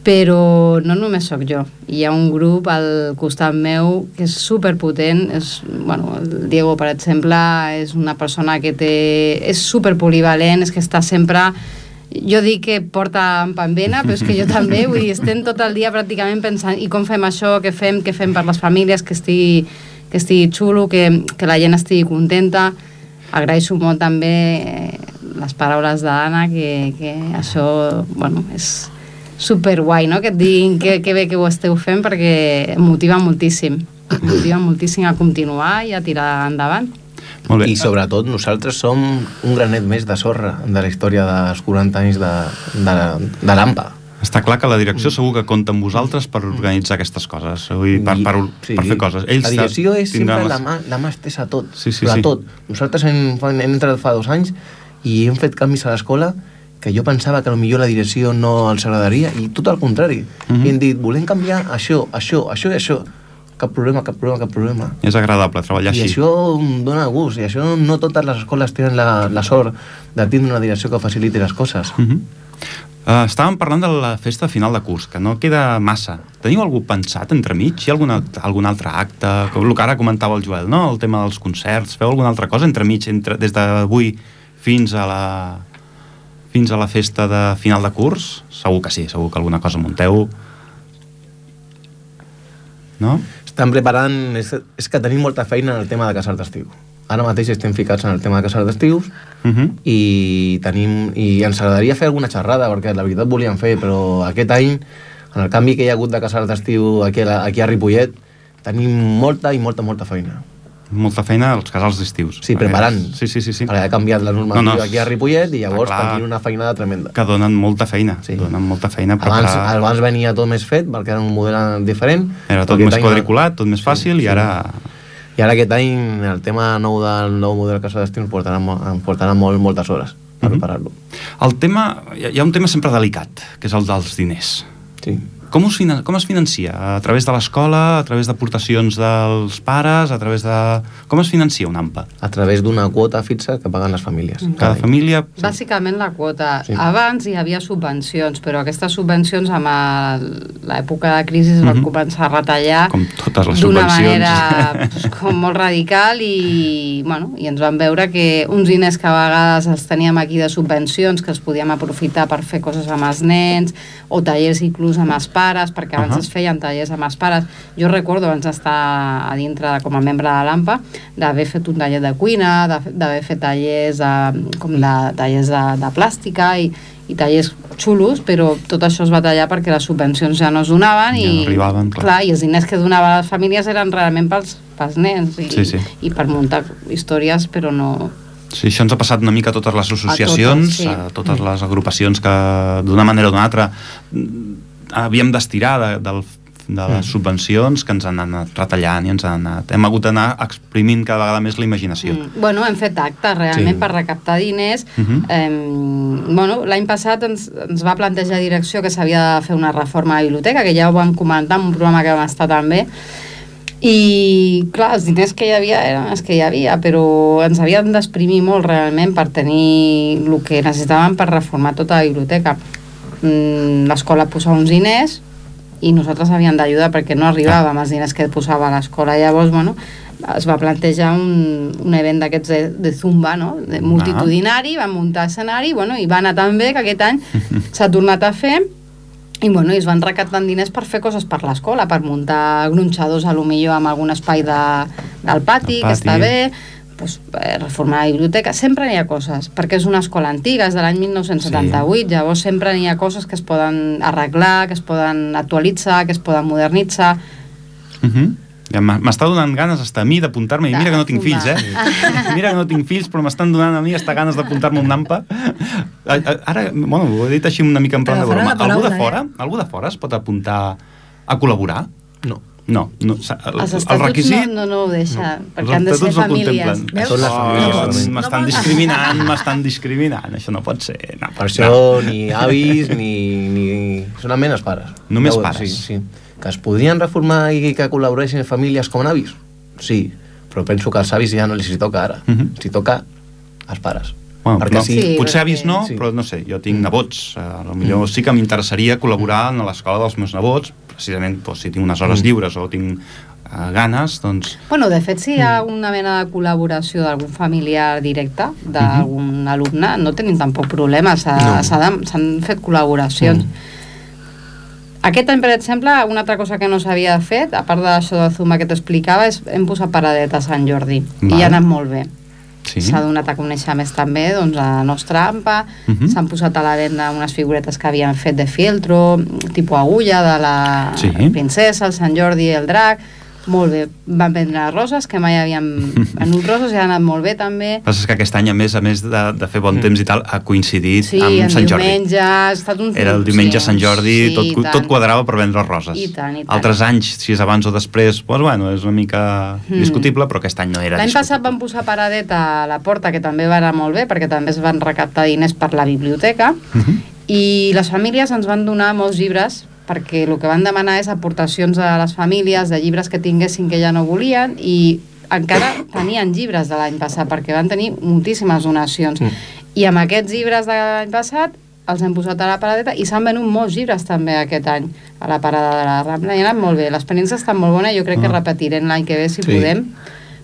però no només sóc jo, hi ha un grup al costat meu que és superpotent, és, bueno, el Diego per exemple és una persona que té, és superpolivalent, és que està sempre... Jo dic que porta en panvena, però és que jo també, vull dir, estem tot el dia pràcticament pensant i com fem això, què fem, què fem per les famílies, que estigui, que estigui xulo, que, que la gent estigui contenta. Agraeixo molt també eh, les paraules d'Anna, que, que això, bueno, és superguai, no?, que et diguin que, que bé que ho esteu fent perquè em motiva moltíssim, em motiva moltíssim a continuar i a tirar endavant. Molt bé. I sobretot nosaltres som un granet més de sorra de la història dels quaranta anys de, de, de l'A M P A. Està clar que la direcció segur que compta amb vosaltres per organitzar aquestes coses, vull dir, per, per, Sí. per fer coses. Ells la direcció és tindran sempre les- la mà, la mà estesa a tot, Sí, sí, però sí. a tot. Nosaltres hem, hem entrat fa dos anys i hem fet canvis a l'escola que jo pensava que potser la direcció no els agradaria i tot al contrari. Mhm. I hem dit, volem canviar això, això, això i això. Cap problema, cap problema, cap problema. És agradable treballar I així. això em dona gust, i això no totes les escoles tenen la, la sort de tindre una direcció que faciliti les coses. Uh -huh. uh, estàvem parlant de la festa final de curs, que no queda massa. Teniu algú pensat entremig? Hi ha alguna, algun altre acte? El que ara comentava el Joel, no? El tema dels concerts. Feu alguna altra cosa entremig, entre, des d'avui fins a la fins a la festa de final de curs? Segur que sí, segur que alguna cosa munteu. no? Estan preparant... És, és que tenim molta feina en el tema de casals d'estiu. Ara mateix estem ficats en el tema de casals d'estius uh -huh. i tenim i ens agradaria fer alguna xerrada, perquè la veritat volíem fer, però aquest any, en el canvi que hi ha hagut de casals d'estiu aquí, aquí a Ripollet, tenim molta i molta, molta feina. Molta feina als casals d'estius. Sí, preparant. Sí, sí, sí, sí. Perquè ha canviat la normativa no, no, aquí a Ripollet i llavors tenim una feinada tremenda. Que donen molta feina. Sí. Donen molta feina. Abans, preparar... abans venia tot més fet, perquè era un model diferent. Era tot més quadriculat, tot més fàcil, sí, i ara... Sí. I ara aquest any el tema nou del nou model casa d'estiu ens portarà, ens portarà molt, moltes hores per uh -huh. preparar-lo. El tema... Hi ha un tema sempre delicat, que és el dels diners. Sí. Com, us finan... Com es financia? A través de l'escola, a través d'aportacions dels pares, a través de... Com es financia un AMPA? A través d'una quota fixa que paguen les famílies. Mm. Cada família... Sí. Bàsicament la quota. Sí. Abans hi havia subvencions, però aquestes subvencions amb l'època de crisi es van mm -hmm. començar a retallar com totes les d'una subvencions. manera pues, com molt radical i, bueno, i ens van veure que uns diners que a vegades els teníem aquí de subvencions que els podíem aprofitar per fer coses amb els nens o tallers inclús amb els pares, perquè abans uh -huh. es feien tallers amb els pares. Jo recordo abans d'estar a dintre com a membre de l'AMPA d'haver fet un taller de cuina, d'haver fet tallers de, com de tallers de, de plàstica i, i tallers xulos, però tot això es va tallar perquè les subvencions ja no es donaven ja i, no arribaven, clar. clar, i els diners que donaven a les famílies eren realment pels, pels nens i, sí, sí. i per muntar històries, però no... Sí, això ens ha passat una mica a totes les associacions, a totes, sí. a totes les agrupacions que d'una manera o d'una altra havíem d'estirar de, del, de les mm. subvencions que ens han anat retallant i ens han anat... Hem hagut d'anar exprimint cada vegada més la imaginació. Mm. Bueno, hem fet actes realment sí. per recaptar diners. Uh -huh. eh, bueno, l'any passat ens, ens va plantejar direcció que s'havia de fer una reforma a la biblioteca, que ja ho vam comentar en un programa que vam estar també, i clar, els diners que hi havia eren els que hi havia, però ens havien d'exprimir molt realment per tenir el que necessitàvem per reformar tota la biblioteca. L'escola posava uns diners i nosaltres havíem d'ajudar perquè no arribàvem als diners que posava l'escola. Llavors, bueno, es va plantejar un, un event d'aquests de, de Zumba, no? De multitudinari, van muntar escenari, bueno, i va anar tan bé que aquest any s'ha tornat a fer i, bueno, i es van recaptant diners per fer coses per l'escola, per muntar gronxadors a lo millor amb algun espai de, del pati, pati, que està bé, pues, eh, reformar la biblioteca, sempre n'hi ha coses, perquè és una escola antiga, és de l'any mil nou-cents setanta-vuit, sí. Llavors sempre n'hi ha coses que es poden arreglar, que es poden actualitzar, que es poden modernitzar. Uh -huh. Ja m'està donant ganes hasta a mi d'apuntar-me, i mira que no tinc fills, eh? Mira que no tinc fills, però m'estan donant a mi hasta ganes d'apuntar-me un AMPA. Ara, bueno, ho he dit així una mica en plan de broma. Algú de fora, algú de fora es pot apuntar a col·laborar? No. No, no el, els estatuts el requisit, no, no, no ho deixa, no. perquè han de ser famílies. Oh, m'estan discriminant, m'estan discriminant, això no pot ser. No, per això no. Ni avis ni, ni... solament els pares. Només ja, pares? Sí, sí. Que es podrien reformar i que col·laboressin famílies com en avis? Sí, però penso que als avis ja no els hi toca ara. Uh -huh. Si toca als pares. Bueno, perquè no, si, sí, potser avis no, sí. Però no sé, jo tinc nebots. A lo millor mm. sí que m'interessaria col·laborar en l'escola dels meus nebots, precisament doncs, si tinc unes hores mm. lliures o tinc uh, ganes, doncs... Bueno, de fet, si hi ha una mena de col·laboració d'algun familiar directe, d'algun mm -hmm. alumne, no tenim tampoc problemes. S'han no. fet col·laboracions. Mm. Aquest any, per exemple, una altra cosa que no s'havia fet, a part d'això de Zumba que t'explicava, és hem posat paradetes a Sant Jordi. Val. I ha anat molt bé. S'ha sí. donat a conèixer més també doncs, a la nostra AMPA, uh -huh. s'han posat a la venda unes figuretes que havien fet de fieltro, tipus agulla, de la sí. princesa, el Sant Jordi i el drac. Molt bé, van vendre roses, que mai havíem venut roses, i ha anat molt bé també. El que passa és que aquest any, a més a més de, de fer bon mm. temps i tal, ha coincidit sí, amb Sant Jordi. Diumenge, ha estat un... Era el diumenge sí, Sant Jordi, sí, tot, tot quadrava per vendre roses. I tant, i tant. Altres anys, si és abans o després, doncs, bueno, és una mica mm. discutible, però aquest any no era L'any discutible. passat van posar paradeta a la porta, que també va anar molt bé, perquè també es van recaptar diners per la biblioteca, mm -hmm. i les famílies ens van donar molts llibres, perquè el que van demanar és aportacions a les famílies de llibres que tinguessin que ja no volien, i encara tenien llibres de l'any passat, perquè van tenir moltíssimes donacions. Mm. I amb aquests llibres de l'any passat els hem posat a la paradeta, i s'han venut molts llibres també aquest any a la parada de la Rambla, i ha anat molt bé. L'experiència està molt bona, jo crec ah. que repetirem l'any que ve si sí. podem,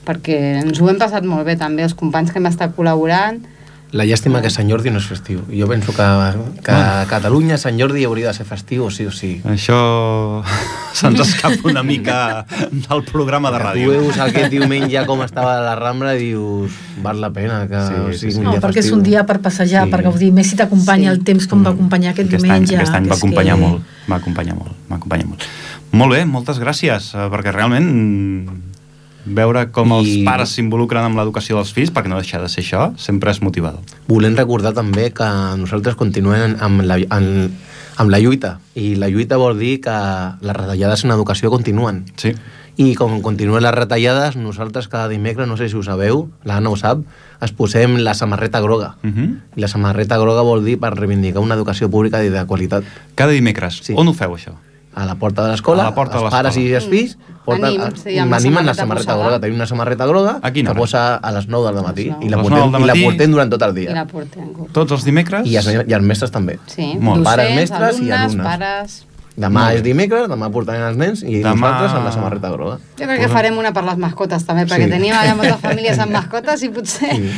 perquè ens ho hem passat molt bé també, els companys que hem estat col·laborant, La llàstima que Sant Jordi no és festiu. Jo penso que, que a Catalunya Sant Jordi hauria de ser festiu, sí o sí. Això se'ns escapa una mica del programa de ràdio. Tu veus aquest diumenge com estava la Rambla i dius, val la pena que sí, sigui sí, sí. un dia no, perquè festiu. És un dia per passejar, sí. per gaudir. Més si t'acompanya sí. el temps com va acompanyar aquest, aquest diumenge. Any, aquest any va acompanyar que... molt, va acompanyar molt, va acompanyar molt. Molt bé, moltes gràcies, perquè realment veure com I... els pares s'involucren amb l'educació dels fills, perquè no deixa de ser això, sempre és motivador. Volem recordar també que nosaltres continuem amb la, amb, amb la lluita, i la lluita vol dir que les retallades en educació continuen. Sí. I com continuen les retallades, nosaltres cada dimecres, no sé si ho sabeu, l'Anna ho sap, es posem la samarreta groga. Uh -huh. I la samarreta groga vol dir per reivindicar una educació pública i de qualitat. Cada dimecres. Sí. On ho feu, això? A la porta de l'escola, els pares i els fills porten, m'animen la samarreta groga. Tenim una samarreta groga que posa a les nou del matí i la portem, i la portem durant tot el dia. I la portem. Tots els dimecres? I els, i els mestres també. Sí, Molt. docents, Pares, mestres alumnes, i alumnes. pares... Demà és dimecres, demà portaran els nens i demà... nosaltres amb la samarreta groga. Jo crec que farem una per les mascotes també, perquè sí. tenim allà moltes famílies amb mascotes i potser... Sí.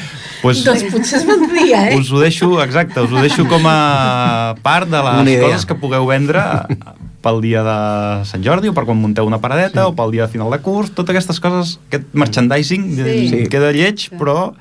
Pues, doncs potser es vendria, eh? Us ho deixo, exacte, us ho deixo com a part de les coses que pugueu vendre pel dia de Sant Jordi o per quan munteu una paradeta sí. o pel dia de final de curs, totes aquestes coses, aquest merchandising sí. queda lleig, sí. però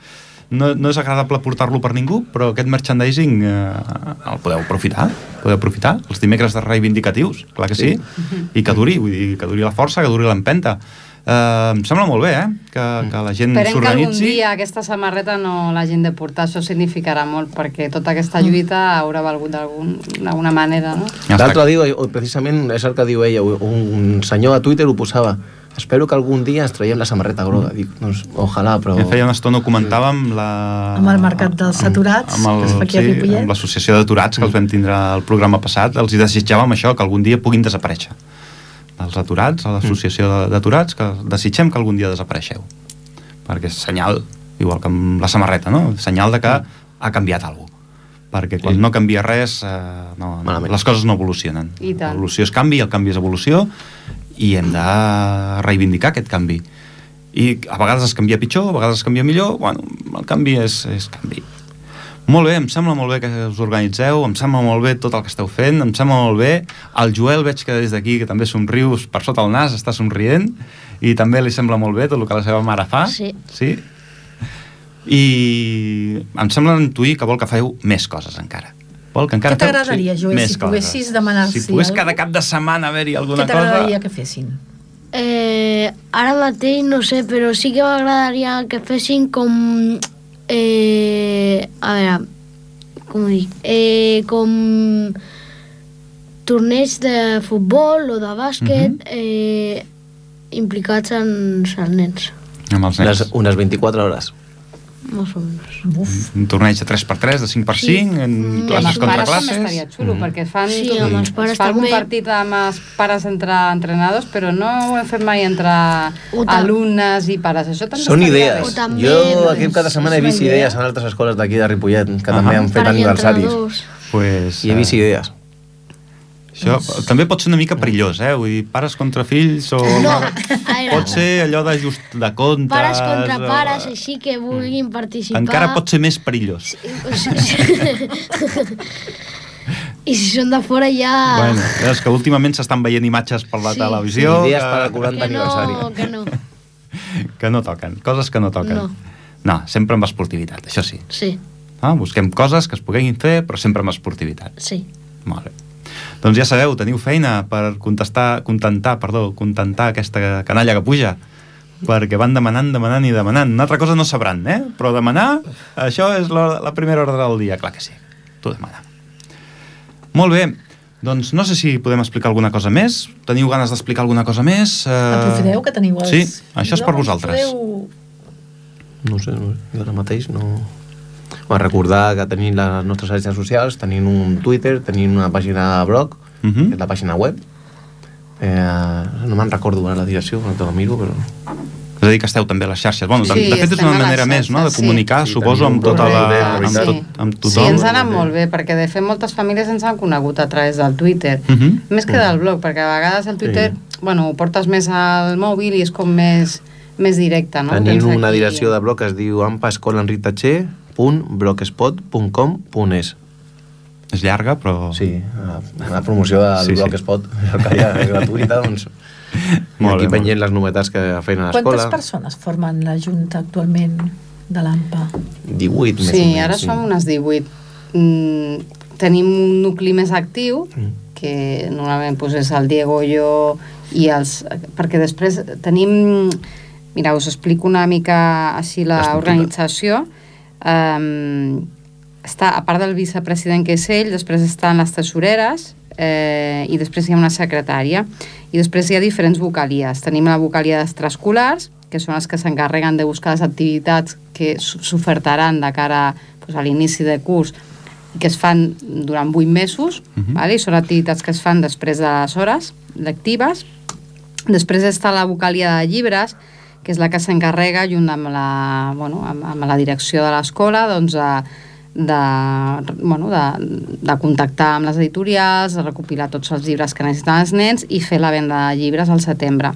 no, no és agradable portar-lo per ningú, però aquest merchandising eh, el podeu aprofitar, podeu aprofitar, els dimecres de reivindicatius, clar que sí, sí. i que duri, vull dir, que duri la força, que duri l'empenta. Uh, em sembla molt bé, eh? Que, que la gent s'organitzi. Esperem que algun dia aquesta samarreta no l'hagin de portar, això significarà molt, perquè tota aquesta lluita haurà valgut d'alguna manera, no? L'altre dia, precisament, és el que diu ella, un senyor a Twitter ho posava, espero que algun dia ens traiem la samarreta groga. Dic, doncs, ojalà, però... Ja feia una estona ho comentàvem la... amb el mercat dels aturats, amb, amb el, que es fa aquí a Ripollet. Sí, amb l'associació d'aturats, que els vam tindre el programa passat, els hi desitjàvem això, que algun dia puguin desaparèixer. Els aturats, a l'associació d'aturats, que desitgem que algun dia desapareixeu. Perquè és senyal, igual que amb la samarreta, no? Senyal de que ha canviat alguna cosa. Perquè quan sí. no canvia res, eh, no, no, les coses no evolucionen. L'evolució és canvi, el canvi és evolució, i hem de reivindicar aquest canvi. I a vegades es canvia pitjor, a vegades es canvia millor, bueno, el canvi és, és canvi. Molt bé, em sembla molt bé que us organitzeu, em sembla molt bé tot el que esteu fent, em sembla molt bé. El Joel veig que des d'aquí, que també somrius per sota el nas, està somrient, i també li sembla molt bé tot el que la seva mare fa. Sí. Sí? I em sembla intuir que vol que feu més coses encara. Vol que encara Què t'agradaria, sí, Joel, si poguessis demanar-s'hi Si pogués cada cap de setmana haver-hi alguna cosa... Què t'agradaria que fessin? Eh, ara mateix no sé, però sí que m'agradaria que fessin com... Eh, a veure, com ho dic? Eh, com torneigs de futbol o de bàsquet uh-huh. eh, implicats en els nens. Amb els nens. Unes, unes vint-i-quatre hores. Més o menys. Uf. Un torneig de tres per tres, de cinc per cinc, sí. en mm. classes contra classes. També estaria xulo, mm. perquè fan, sí, tot, amb els pares es fa algun també. partit amb els pares entre entrenadors, però no ho hem fet mai entre alumnes i pares. Això també són idees. També, jo aquest cada setmana he vist idees en altres escoles d'aquí de Ripollet, que uh-huh. també han fet aniversaris. Pues, I he vist idees. Això també pot ser una mica perillós, eh? Vull dir, pares contra fills o... No, pot ser allò de just de comptes... Pares contra o... pares, així que vulguin participar... Encara pot ser més perillós. Sí, sí, sí. I si són de fora ja... Bueno, és que últimament s'estan veient imatges per la sí. televisió... Sí, idees per al quaranta aniversari. No, que no. Que no toquen, coses que no toquen. No. No, sempre amb esportivitat, això sí. Sí. Ah, busquem coses que es puguin fer, però sempre amb esportivitat. Sí. Molt bé. Doncs ja sabeu, teniu feina per contestar, contentar, perdó, contentar aquesta canalla que puja, perquè van demanant, demanant i demanant. Una altra cosa no sabran, eh? Però demanar, això és la, la primera hora del dia, clar que sí. Tu demana. Molt bé, doncs no sé si podem explicar alguna cosa més. Teniu ganes d'explicar alguna cosa més? Uh... Aprofiteu que teniu els... Sí, això és per vosaltres. Podeu... No sé, no, jo ara mateix no... Bueno, recordar que tenim les nostres xarxes socials, tenim un Twitter, tenim una pàgina de blog, uh-huh. que és la pàgina web. Eh, no me'n recordo ara la direcció, no te la miro, però... És a dir, que esteu també a les xarxes. Bueno, sí, de fet, és una manera més, no?, de comunicar, sí. suposo, amb tota la... amb, tot, amb tothom. Sí, ens ha anat molt bé, perquè de fet moltes famílies ens han conegut a través del Twitter, uh-huh. més que del blog, perquè a vegades el Twitter, sí. bueno, ho portes més al mòbil i és com més, més directe, no? Tenim una direcció de blog que es diu ampa escola enric tatxer punt blogspot punt com punt es. És llarga, però... Sí, la, la promoció del sí, Blogspot, sí. Que ja és gratuïta, doncs... Molt aquí pengen les novetats que feien a l'escola. Quantes persones formen la Junta actualment de l'A M P A? divuit, més sí, o menys. Ara sí, ara som unes divuit. Mm, tenim un nucli més actiu, mm. que normalment pues, és el Diego, jo i els... Perquè després tenim... Mira, us explico una mica així l'organització. Um, està, a part del vicepresident, que és ell, després estan les tesoreres, eh, i després hi ha una secretària. I després hi ha diferents vocalies. Tenim la vocalia d'extraescolars, que són els que s'encarreguen de buscar les activitats que s'ofertaran de cara pues, a l'inici de curs, que es fan durant vuit mesos, uh-huh. vale? I són activitats que es fan després de les hores lectives. Després està la vocalia de llibres, que és la que s'encarrega, junt amb la, bueno, amb, amb la direcció de l'escola, doncs, de, de, bueno, de, de contactar amb les editorials, de recopilar tots els llibres que necessiten els nens i fer la venda de llibres al setembre.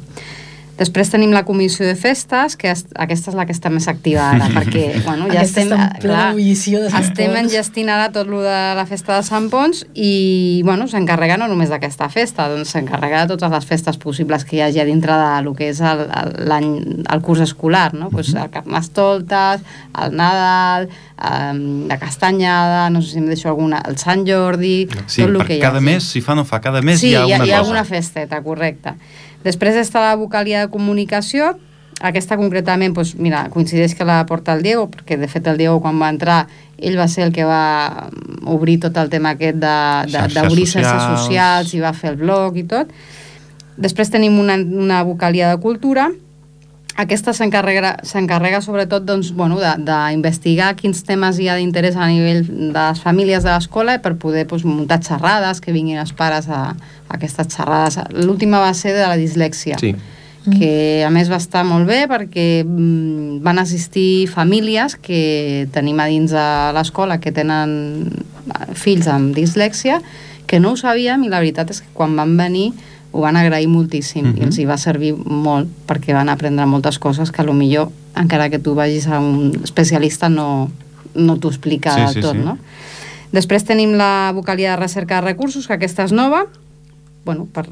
Després tenim la comissió de festes, que es, aquesta és la que està més activa ara, perquè bueno, ja aquesta estem, clar, de estem enllestint ara tot lo de la festa de Sant Ponç i bueno, s'encarrega no només d'aquesta festa, doncs s'encarrega de totes les festes possibles que hi hagi dintre de lo que és el, el, el curs escolar, no? Pues el Carnestoltes, el Nadal, um, la Castanyada, no sé si em deixo alguna, el Sant Jordi, sí, tot el que hi cada hagi. mes, si fa no fa, cada mes sí, hi ha alguna hi ha, hi ha cosa. alguna festeta, correcte. Després està la vocalia de comunicació, aquesta concretament, doncs, mira, coincideix que la porta el Diego, perquè de fet el Diego quan va entrar, ell va ser el que va obrir tot el tema aquest d'obrir xarxes socials i va fer el blog i tot. Després tenim una, una vocalia de cultura, aquesta s'encarrega sobretot doncs, bueno, d'investigar quins temes hi ha d'interès a nivell de les famílies de l'escola per poder doncs, muntar xerrades, que vinguin els pares a, a aquestes xerrades. L'última va ser de la dislèxia, sí. que a més va estar molt bé perquè mm, van assistir famílies que tenim a dins de l'escola que tenen fills amb dislèxia, que no ho sabíem i la veritat és que quan van venir ho van agrair moltíssim uh-huh. i els hi va servir molt perquè van aprendre moltes coses que potser encara que tu vagis a un especialista no, no t'ho explica sí, sí, tot, sí. no? Després tenim la vocalia de recerca de recursos, que aquesta és nova, bueno, per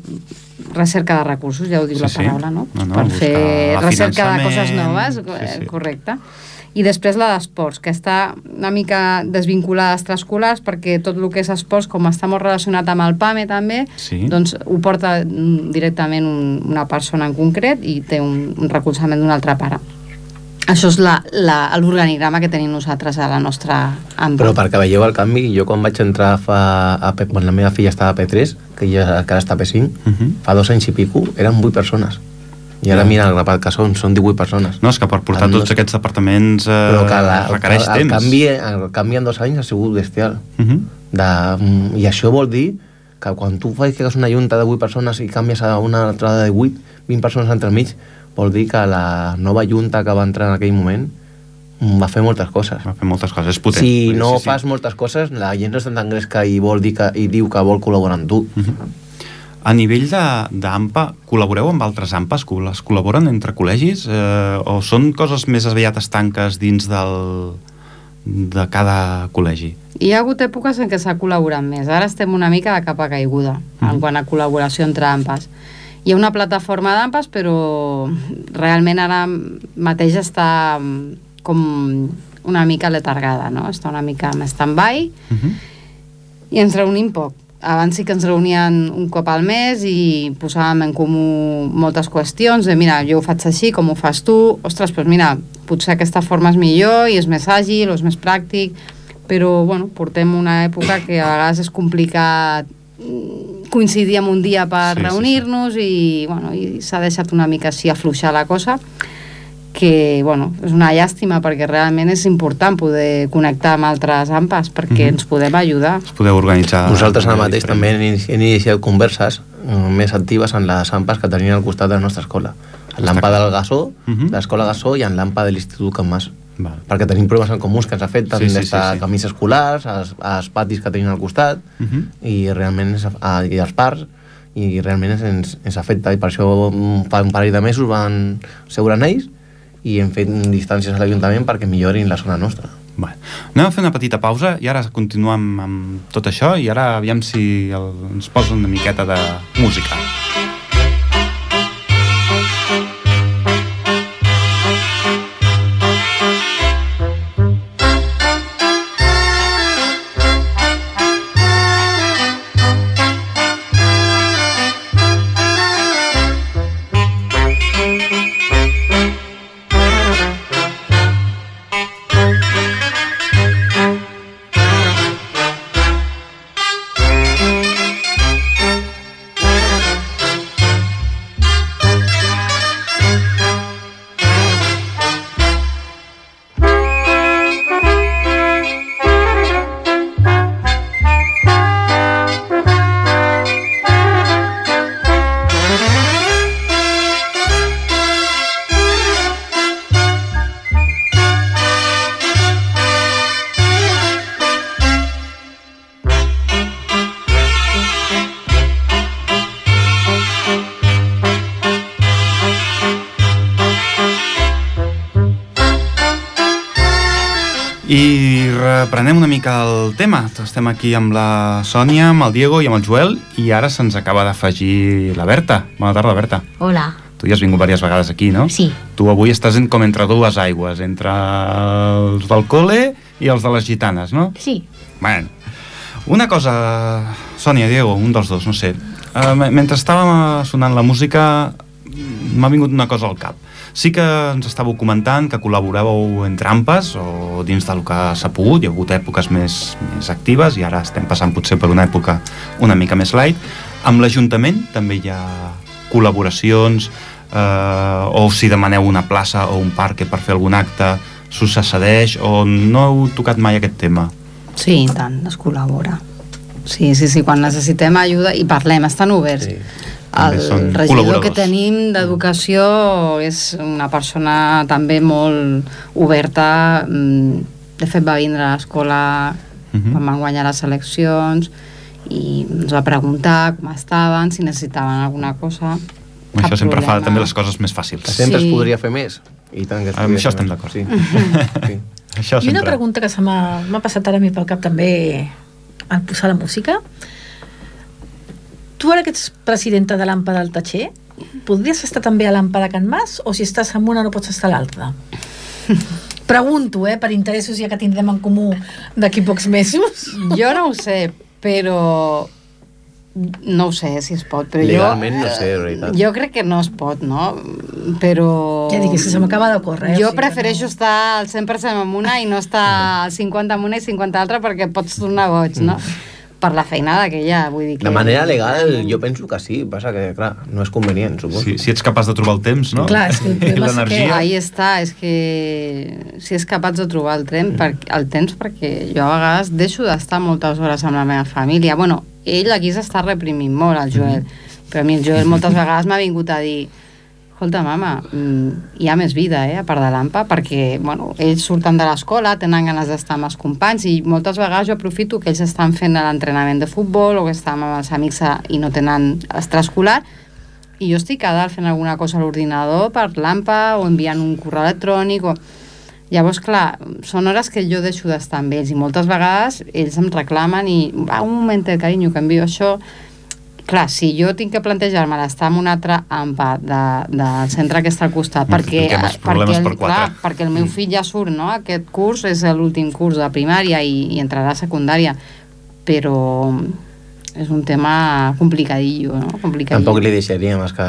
recerca de recursos, ja ho diu sí, la paraula, no? no, no per fer recerca de coses noves, sí, sí. correcte. I després la d'esports, que està una mica desvinculada als extraescolars perquè tot el que és esports, com està molt relacionat amb el PAME també, sí. doncs ho porta directament un, una persona en concret i té un, un recolzament d'un altre pare. Això és l'organigrama que tenim nosaltres a la nostra àmbit. Però perquè veieu el canvi, jo quan vaig entrar fa, a, quan la meva filla estava a P tres, que ja que ara està a P cinc, uh-huh. fa dos anys i pico, eren vuit persones. I ara mira el grapat que són, són divuit persones. No, és que per portar tots aquests departaments eh, la, requereix el, el temps. Canvi, el canvi en dos anys ha sigut bestial. Uh-huh. de, I això vol dir que quan tu fas que és una junta de vuit persones i canvies a una altra de vuit, vint persones entre mig, vol dir que la nova junta que va entrar en aquell moment va fer moltes coses. Va fer moltes coses, és potent. Si no sí, sí. fas moltes coses, la gent no està tan gresca i, vol dir que, i diu que vol col·laborar amb tu. Uh-huh. A nivell d'A M P A, col·laboreu amb altres A M P As? Es col·laboren entre col·legis? Eh, o són coses més aviat estanques dins del, de cada col·legi? Hi ha hagut èpoques en què s'ha col·laborat més. Ara estem una mica de capa caiguda mm-hmm. en quant a col·laboració entre A M P As. Hi ha una plataforma d'A M P As, però realment ara mateix està com una mica letargada, no? Està una mica en stand-by mm-hmm. i ens reunim poc. Abans sí que ens reunien un cop al mes i posàvem en comú moltes qüestions de mira, jo ho faig així, com ho fas tu, ostres, doncs mira, potser aquesta forma és millor i és més àgil o és més pràctic, però bueno, portem una època que a vegades és complicat coincidir en un dia per sí, reunir-nos sí, sí. i bueno, i s'ha deixat una mica així afluixar la cosa, que bueno, és una llàstima perquè realment és important poder connectar amb altres A M P As perquè mm-hmm. ens podem ajudar. Ens podeu organitzar... Nosaltres ara mateix diferent. També hem iniciat converses més actives en les A M P As que tenien al costat de la nostra escola. En l'A M P A del Gassó, mm-hmm. l'escola Gassó i en l'A M P A de l'Institut Can Mas. Val. Perquè tenim problemes en comuns que ens afecten sí, sí, des de sí, sí. camins escolars, als, als patis que tenim al costat mm-hmm. i realment és, a, i als parcs i realment ens, ens afecta i per això fa un parell de mesos van seure en ells i hem fet distàncies a l'Ajuntament perquè millorin la zona nostra. Bé, anem a fer una petita pausa i ara continuem amb tot això i ara aviam si el, ens posa una miqueta de música. I reprenem una mica el tema. Estem aquí amb la Sònia, amb el Diego i amb el Joel i ara se'ns acaba d'afegir la Berta. Bona tarda, Berta. Hola. Tu ja has vingut diverses vegades aquí, no? Sí. Tu avui estàs en, com entre dues aigües, entre els del col·le i els de les gitanes, no? Sí. Bueno, una cosa, Sònia, Diego, un dels dos, no sé. Uh, mentre estàvem sonant la música m'ha vingut una cosa al cap. Sí que ens estàveu comentant que col·laboràveu entre AMPAs o dins del que s'ha pogut, hi ha hagut èpoques més, més actives i ara estem passant potser per una època una mica més light. Amb l'Ajuntament també hi ha col·laboracions eh, o si demaneu una plaça o un parc per fer algun acte s'us accedeix o no heu tocat mai aquest tema? Sí, i tant, es col·labora. Sí, sí, sí, quan necessitem ajuda i parlem, estan oberts. Sí. El regidor que tenim d'Educació és una persona també molt oberta. De fet, va vindre a l'escola uh-huh. quan van guanyar les eleccions i ens va preguntar com estaven, si necessitaven alguna cosa. Això sempre problema. Fa també les coses més fàcils. Sempre sí. es podria fer més. I tant que es amb això estem d'acord. Sí. sí. Això I una pregunta que se m'ha, m'ha passat ara a mi pel cap també al posar la música. Tu ara que ets presidenta de l'AMPA del Tatxer, podries estar també a l'AMPA de Can Mas o si estàs en una no pots estar a l'altra? Pregunto, eh, per interessos ja que tindrem en comú d'aquí pocs mesos. Jo no ho sé, però no ho sé si es pot, però legalment jo, no sé, de veritat. Jo crec que no es pot, no? Però... Ja dic, que se m'acaba de córrer. Eh? Jo o sigui prefereixo no... estar al cent per cent amb una i no estar al cinquanta amb una i cinquanta altra perquè pots tornar boig, no? Mm. Per la feinada que hi ha, vull dir que... De manera legal, jo penso que sí, passa que, clar, no és convenient, suposo. Sí, si ets capaç de trobar el temps, no? Clar, és que el l'energia. Que... Ahí està, és que si és capaç de trobar el, tren, per... el temps, perquè jo a vegades deixo d'estar moltes hores amb la meva família. Bueno, ell aquí s'està reprimint molt, el Joel, mm. però a mi el Joel moltes vegades m'ha vingut a dir escolta, mama, hi ha més vida, eh, a part de l'AMPA, perquè, bueno, ells surten de l'escola, tenen ganes d'estar amb els companys i moltes vegades jo aprofito que ells estan fent l'entrenament de futbol o que estan amb els amics a, i no tenen extraescolar i jo estic a dalt fent alguna cosa a l'ordinador per l'AMPA o enviant un correu electrònic o... Llavors, clar, són hores que jo deixo d'estar amb ells i moltes vegades ells em reclamen i va, un momentet, carinyo, que envio això. Clar, si jo tinc que plantejar-me d'estar en un altre AMPA de, del centre que està al costat, perquè, perquè, el, per clar, perquè el meu fill ja surt, no? Aquest curs és l'últim curs de primària i, i entrarà a secundària, però és un tema complicadillo, no? Complicadillo. Tampoc li deixaríem, és que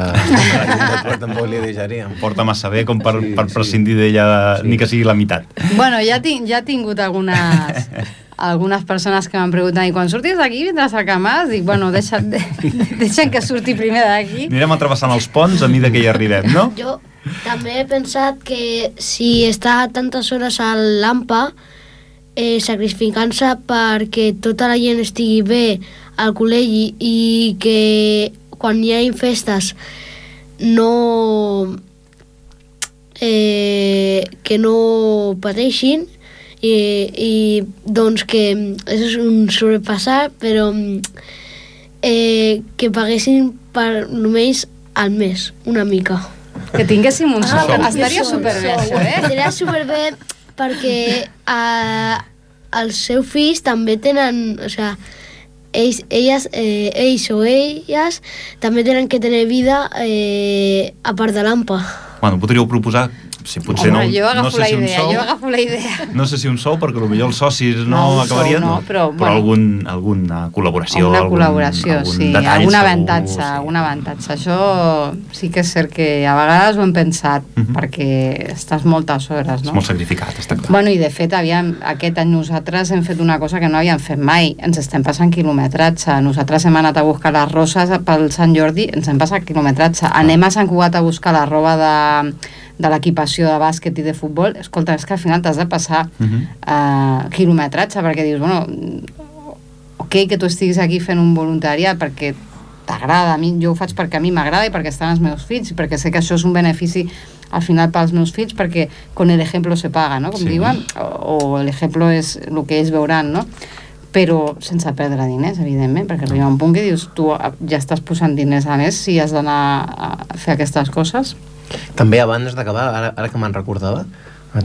tampoc li deixaríem. Porta massa bé com per, sí, per prescindir sí. d'ella, sí. ni que sigui la meitat. Bueno, ja, tinc, ja he tingut algunes... algunes persones que m'han preguntat i quan surtis d'aquí vindràs a Can Mas? Dic, bueno, deixa, de, deixen que surti primer d'aquí. Anirem atrevessant els ponts a mida que hi arribem, no? Jo també he pensat que si està tantes hores a l'AMPA eh, sacrificant-se perquè tota la gent estigui bé al col·legi i que quan hi ha festes no eh, que no pateixin I, i doncs que és un sobrepassar però eh, que paguessin per només al mes, una mica que tinguéssim un ah, sou, estaria superbé això, eh? Estaria superbé perquè eh, els seus fills també tenen, o sigui, ells, elles, eh, ells o elles també tenen que tenir vida eh, a part de l'Ampa. Bueno, podríeu proposar, si potser Home, no, jo agafo no sé la si un idea, sou, jo agafo la idea. no sé si un sou, perquè potser els socis no, No, un sou acabarien, no, però, però bueno. algun, alguna col·laboració, Una algun, col·laboració, algun sí, detall algun segur, avantatge, sí. algun avantatge. Això sí que és cert que a vegades ho hem pensat, Uh -huh. perquè estàs moltes hores, És no? molt sacrificat, està clar. Bueno, i de fet, aviam, aquest any nosaltres hem fet una cosa que no havíem fet mai, ens estem passant quilometratge. Nosaltres hem anat a buscar les roses pel Sant Jordi, ens hem passat quilometratge. Anem a Sant Cugat a buscar la roba de, de l'equipació de bàsquet i de futbol. Escolta, és que al final t'has de passar Uh -huh. uh, quilometratge, perquè dius, bueno, ok que tu estiguis aquí fent un voluntariat perquè t'agrada, a mi, jo ho faig perquè a mi m'agrada i perquè estan els meus fills, i perquè sé que això és un benefici al final pels meus fills, perquè con el ejemplo se paga, no? Com Sí. diuen, o, o el ejemplo és el que ells veuran, no? Però sense perdre diners, evidentment, perquè arriba un punt que dius, tu ja estàs posant diners a més si has d'anar a fer aquestes coses. També abans d'acabar, ara, ara que me'n recordava,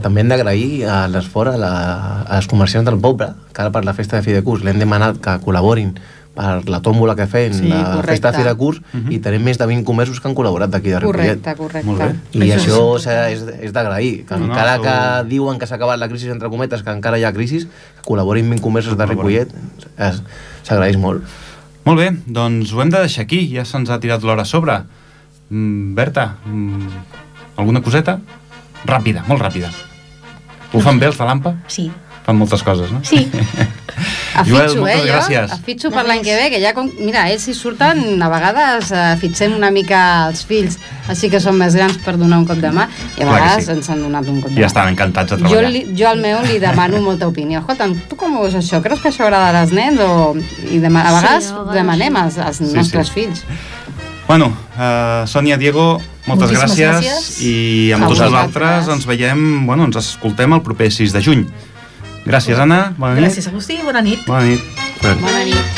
també hem d'agrair a l'esforç a, la, a les comerciants del poble, que ara per la festa de fi de curs l'hem demanat que col·laborin per la tòmbola que fem, Sí, la correcte. festa de fi de curs, Uh -huh. i tenim més de vint comerços que han col·laborat d'aquí de Ripollet. Correcte, correcte. Molt bé. I Això això, és és, és, és d'agrair, que No, no, encara sou- que diuen que s'ha acabat la crisi, entre cometes, que encara hi ha crisi, que col·laborin vint comerços de Ripollet, es- s'agraeix molt. Molt bé, doncs ho hem de deixar aquí, ja se'ns ha tirat l'hora a sobre. Mm, Berta, mm, alguna coseta? Ràpida, molt ràpida. Ho fan bé els de l'Ampa? Sí. Fan moltes coses, no? Sí. Joel, Afitxo, moltes eh, gràcies. jo? Afitxo per l'any que ve, que ja, com, mira, ells hi surten, a vegades eh, fitxem una mica els fills, així que són més grans per donar un cop de mà, i a Clar que vegades sí. ens han donat un cop de Ja mà. estan encantats de Jo, treballar. li, jo al meu li demano molta opinió. Escolta'm, tu com ho veus això? Creus que això agrada als nens? O... I dema... a Sí, vegades a vegades demanem als, als Sí, nostres sí. fills. Bueno, uh, Sònia, Diego, moltes Moltíssimes gràcies, gràcies. i amb A tots vosaltres. vosaltres ens veiem, bueno, ens escoltem el proper sis de juny. Gràcies, Anna, bona nit. Gràcies, Agustí, bona nit. Bona nit. Bona nit.